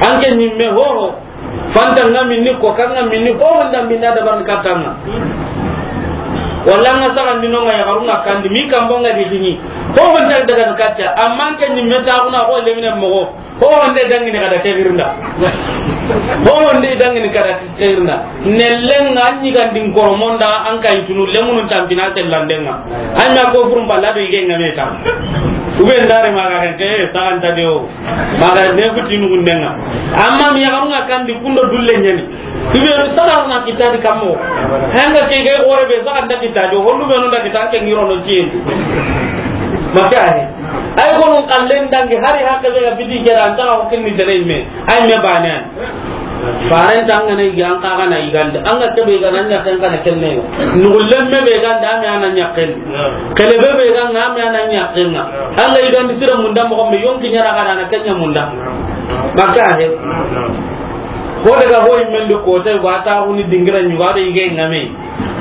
An ke ɲimme ho ho. Fanta ŋa minni, ko kan ŋa minni, ho ho nda minna dabar ni katta ŋa. Walla ŋa saga ndino ŋa yaxarun ŋa kandi, mi kambo ŋa di dini. Ho ho nda daga ni katta, amma an ke ɲimme ta kuna ko lemine mo. Ho nde dangini kada ke girnda. Ho nde dangini kada ke girnda. Nelle nga anyi gandin koromonda an kay tunu lemunu tampina tellandenga. Anya ko furum balla do ige ngame ta. Ube ndare maga ke, ke, saxanta de o. Maga ne futinu gundenga. Amma mi yaga nga kandi kundo dulle nyani. Ibeenu saga na kitadi kammo. Hanga ke ga gore be saga nda kitadi, hondu beenu nda kita ke ngiro no tiye. Maka he. Ay ko non kallen dangi hari hakke be ga bidi kera anta ko kinni tere me. Ay me bane. Faren tanga ne ga an ka ga na igande. Anga ke be ga nan ya kan kana kenne. Nugullen me be ga nda me anan ya ken. Kele be be ga na me anan ya ken. Anga igande sira munda mo be yonki nyara ga na kenya munda. Maka he. Ko daga ho immen do ko tay wa ta huni dingira nyuga be ige ngame.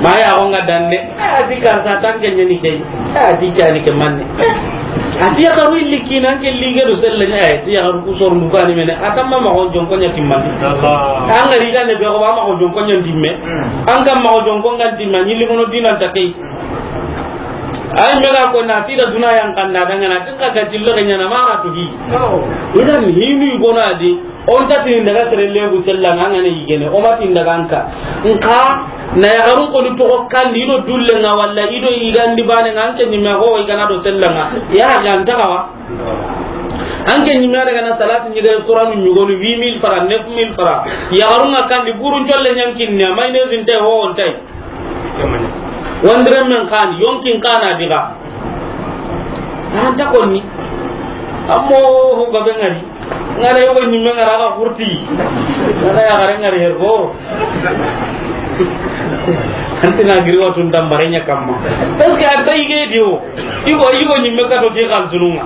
Ma ya ko nga danne. Eh, a ti karsa tan ke nyani ke. Eh, a ti cani ke manne. Eh, a ti ya karu illi kinan ke lige do selle ne. Eh, ti ya karu ku sor ndukani mene. Atamma ma ko jonko nya timman. An ga riga ne be ko ba ma ko jonko nya timme. An ga ma ko jonko nga timma ni limono dinan ta kay. Ay me ga ko na ti da duna yan kanda danga na tinka ga jillo ga nyana ma na tugi. Idan hinu gona di. On ta tin daga sere lebu tella nga ngane yigene, o ma tin daga anka. Nka, na yaxarun ko ni toxo kandi, i do dulle nga walla i do igandi bane nga anke ni me ho i gana do tella nga. Ya ga anta kawa. Anke ni me daga na salati ni ga Qur'an ni go ni huit mille francs, neuf mille francs. Yaxarun nga kandi burun jolle nyankin ne, may ne zinte ho on tay. Wandire men kan, yonkin kana diga. Anta konni. Ammo ho gabe ngari. Ngara yogo nyimme ngara ga kurti. Ngara ya gare ngari hergo. Antina giri watun tambarenya kamma. Parce que anta ige dio. Igo, igo nyimme ka to ke kan sununga.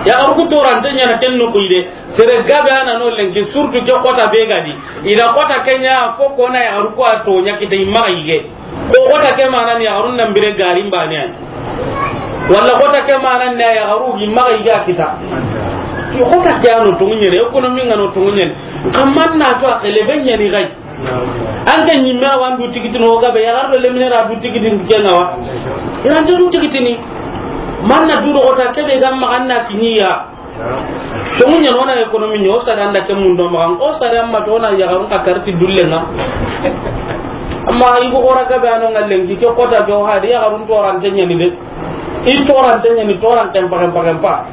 Ya arku torante nyana tenno ko ide. Sere gabe ana no lenki, surtout ke kota be gadi. Ida kota kenya fo kona ya arku a to nya kite imma ige. Ko kota ke mana ni yaxarun nan bire garin bane ani. Walla kota ke mana ni yaxaru gi maxa i ga kita. Ko kota ke ano tungunyere, économie ngano tungunyere. Kaman na to a xele be nyani gai. Anke nyimme a wa ndu tikitini o gabe yaxar do lemine ra du tikitini ke nga wa. Iran du tikitini. Manna du do kota ke be gam maxa na kiniya. Tongu ɲa no na économie ɲa, o sare anda ke mundo maxa, o sare amma to na yaxarun ka karti dulle nga. Amma i go xora gabe ano nga lenki, ke kota ke o hadi yaxarun torante ɲani de. I torante ɲani, torante mpaxe mpaxe mpa.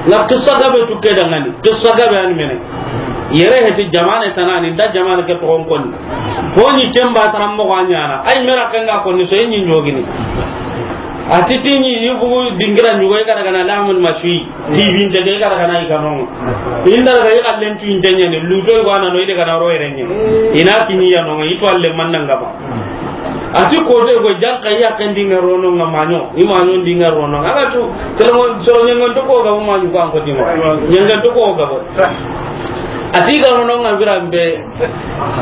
Na qissa gabe tu ke dangani, qissa gabe ani mene. Yere heti jamane tanani, nda jamane ke toxon konni. Ko ni kemba taram moxo a ɲana. Ay mera kenga konni so yi ɲogini. A ti ti ni yugo dingira ɲugo i ga daga na lahmul mashwi. Ti binte ke i ga daga na i kanonga. Inda daga i kallen tu inte ɲani, luto i wana no i daga na ro yere ɲani. I na kini ya no, i to alle manna nga ba. A ti ko de go jan ka ya kan dinga rono nga manyo, i manyo dinga rono. Aga tu, tele mo so nyangon to ko ga manyo ko an ko timo. Nyangon to ko ga bo. A ti ga rono nga birambe.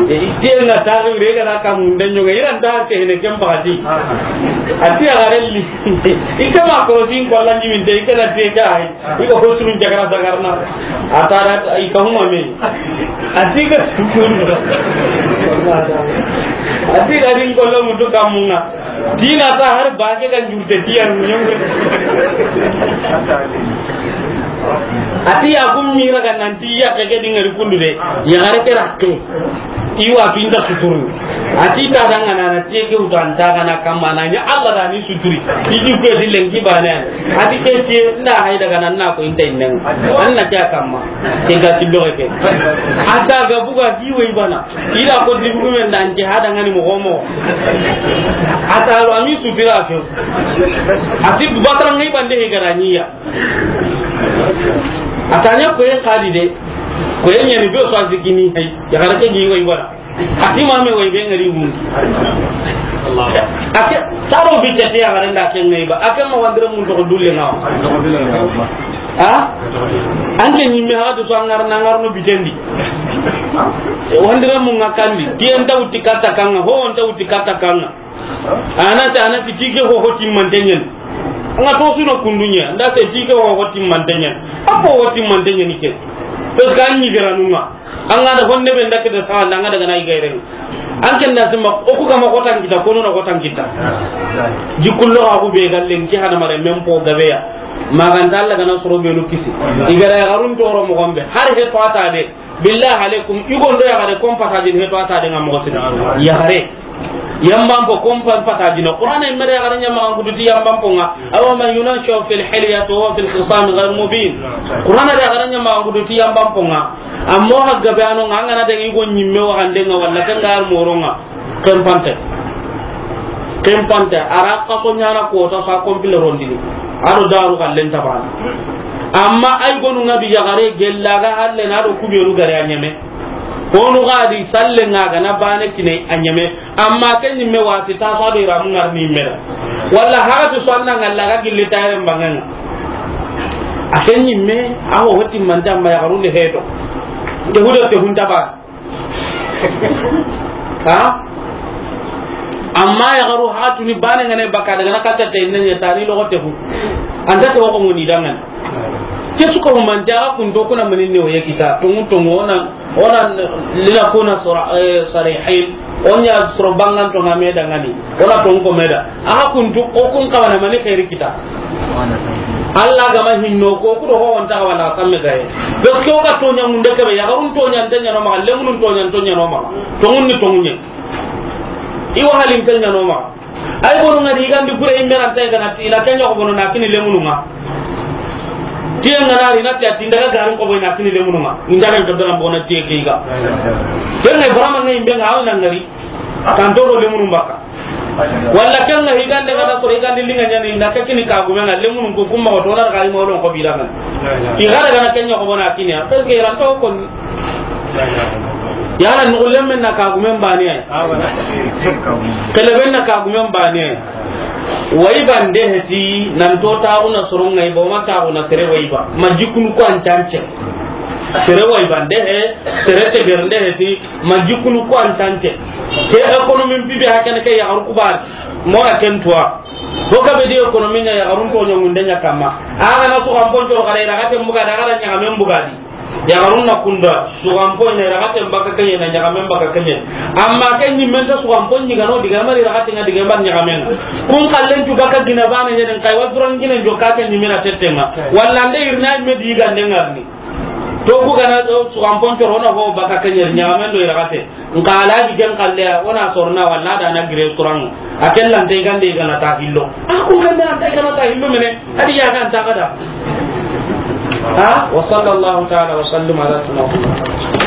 Ite na taxi re ga na kam nde ɲoga iran da ke ne kem bagati. A ti a garelli. Ike ma ko sin ko la ni min de ike na te ka ai. Iko ko sun jagara sagarna. A tara ika huma me. A ti ga. A ti ga din ko lo mutu kamunga. Dina ta har ba ke ga njurte tiyan nyongo. A ti ya gum mira ga nan ti ya ke ke dingari kundu de. Ya gare ke rakke. Iwa tu inta suturu. A ti ta danga na na ti ke uta anta ga na kamana nya Allah da ni suturi. Iji ku di lenki bana. A ti ke ti na hay daga nan na ko inta innen. An na kya kamma. Ke ga ti lo ke. Ata ga buga di we bana. Ila ko di bugu men dan ke hada ngani mo homo. Ata lo ami sutira ke. A ti du batara ngai bande he garaniya. A ta ɲa ko en kadi de. Ko en ɲani be so a zikini hay. Ya gara ke gi way wala. A ti ma me way be ngari mun. A ke taro bi te ya gara nda ke ngai ba. A ke ma wandira mun to dulle na. Ha? An ke ni me ha do so ngar na ngar no bitendi. Wandira mun ngakandi. Di en tawti kata kanga. Ho on tawti kata kanga. Ana ta, ana ti tike ho ho timmante ɲen. Anga to suna kundunya, nda te tike ho ho timmante ɲen. Apo ho timmante ɲen ke. To kan ni gara nunga. Anga da honne be ndake da sa, anga daga na igairen. An ken da sima, o ku kama ko tan kita, kono na ko tan kita. Jikullo ga ku be gallen ki hana mare men po gabeya. Maganta Alla ga na soro benu kisi. I ga ra yaxarun toro moxo be. Har he to a ta de. Billahi alaikum, i gondo yaxare kon pataji he to a ta de nga moxo sina. Yaxare. Yamban po kon pa-, pataji no. Qur'ana i me ra yaxare ɲa maxa n kutu ti yamban po nga. Awa man yunashau fil hilyati wa huwa fil khisami ghayr mubin. Qur'ana ra yaxare ɲa maxa n kutu ti yamban po nga. Amma o hagga be ano nga, an ga na daga i go ɲimme waxande nga walla ken ga ar moxo nga. Kempante. Kempante. A ra xaso ɲaana ko ta sa kompile rondini. A do daru xallen ta bana. Amma ay gonu nga bi yaxare gella ga halle na do kubenu gare a ɲeme. Honu ga di salle nga ga na bane kine a ɲeme. Amma ken ɲimme wasi ta sa do i ra mu ngar ni me da. Walla hagati so an na nga la ga gilli tayre mbanganga. A ken ɲimme a ho hoti manta ma yaxarun de heto. Te hudo te hunta ba. Ha? Amma yaxaru hatu ni bane nga ne baka daga na kata te ne ɲa tani loxo te hu. Anta to ko ngoni dangan. Ke su ko man jaga kun to kuna manin ne o ye kita. Tungu tungu ona, ona lina kuna sura, eh, sarihin. Onya sura bangan to nga me dangani. Ona tungu ko me da. Aha kuntu, o kun kawana mani xeeri kita. Alla ga ma hinno ko, ku do ho on ta wala kamme gaye. Parce que o ga toɲa munde ke be, yaxarun toɲa nte ɲa no maxa, lemunun toɲa nte ɲa no maxa. Tongun ni tongunye. I wa halin nte ɲa no maxa. Ay bono nga di gandi gure i me ra nta ga na ti na ken ɲa ko bono na kini lemunu nga. Tiye nga na ri na ti a ti n daga garin ko boy na kini lemunu nga. N daga ga dara bono tiye ke ga. Ken ne barama ngai be nga aw na ngari. Tanto do lemunu baka. Walla ken nga higande ga na soro higande linga ɲani na ke kini kagume nga lemunun ko kumma ko to na ga i mawlon ko bidanga. I ga daga na ken ɲa ko bona kini a, parce que i ra nta ko ni. Yala no lemme na kagume mbani ay. Kele ben na kagume mbani ay. Wayi bande heti nan to ta una soro ngai bo ma ta una sere wayi ba. Ma jikunu ko an tance. Sere wayi bande he, sere te bernde heti. Ma jikunu ko an tance. Ke économie bibi hakene ke yaxaru kubar. Mora ken tuwa. Ho ka be di économie ɲa yaxarun toɲa munde ɲa kamma. A ga na su kan ponco ga da i ra ga te mbuga da ga da ɲa men mbuga di. Yaxarun na kunda su kan pon i ra ga te baka kenye na ɲa men baka kenye. Amma ken ni men ta su kan pon ni ga no diga mari ra ga te nga diga ban ɲa men. Kun kallen tu baka gina bana ɲa den kai wa duran gina jo ka ken ni mena tettenga. Walla nde irna me di ga ndengarni. To ku gana do su kan pon coro na ho baka kenye ɲa men do i ra ga te. Nka alaji ken kalle, o na sorna walla da na gire suran. A ken lan te gande gana ta hillo. A ko gande lan te gana ta hillo mene. Hadi ya kan ta kada. Ha? Wa sallallahu ta'ala wa sallim ala sayyidina Muhammad.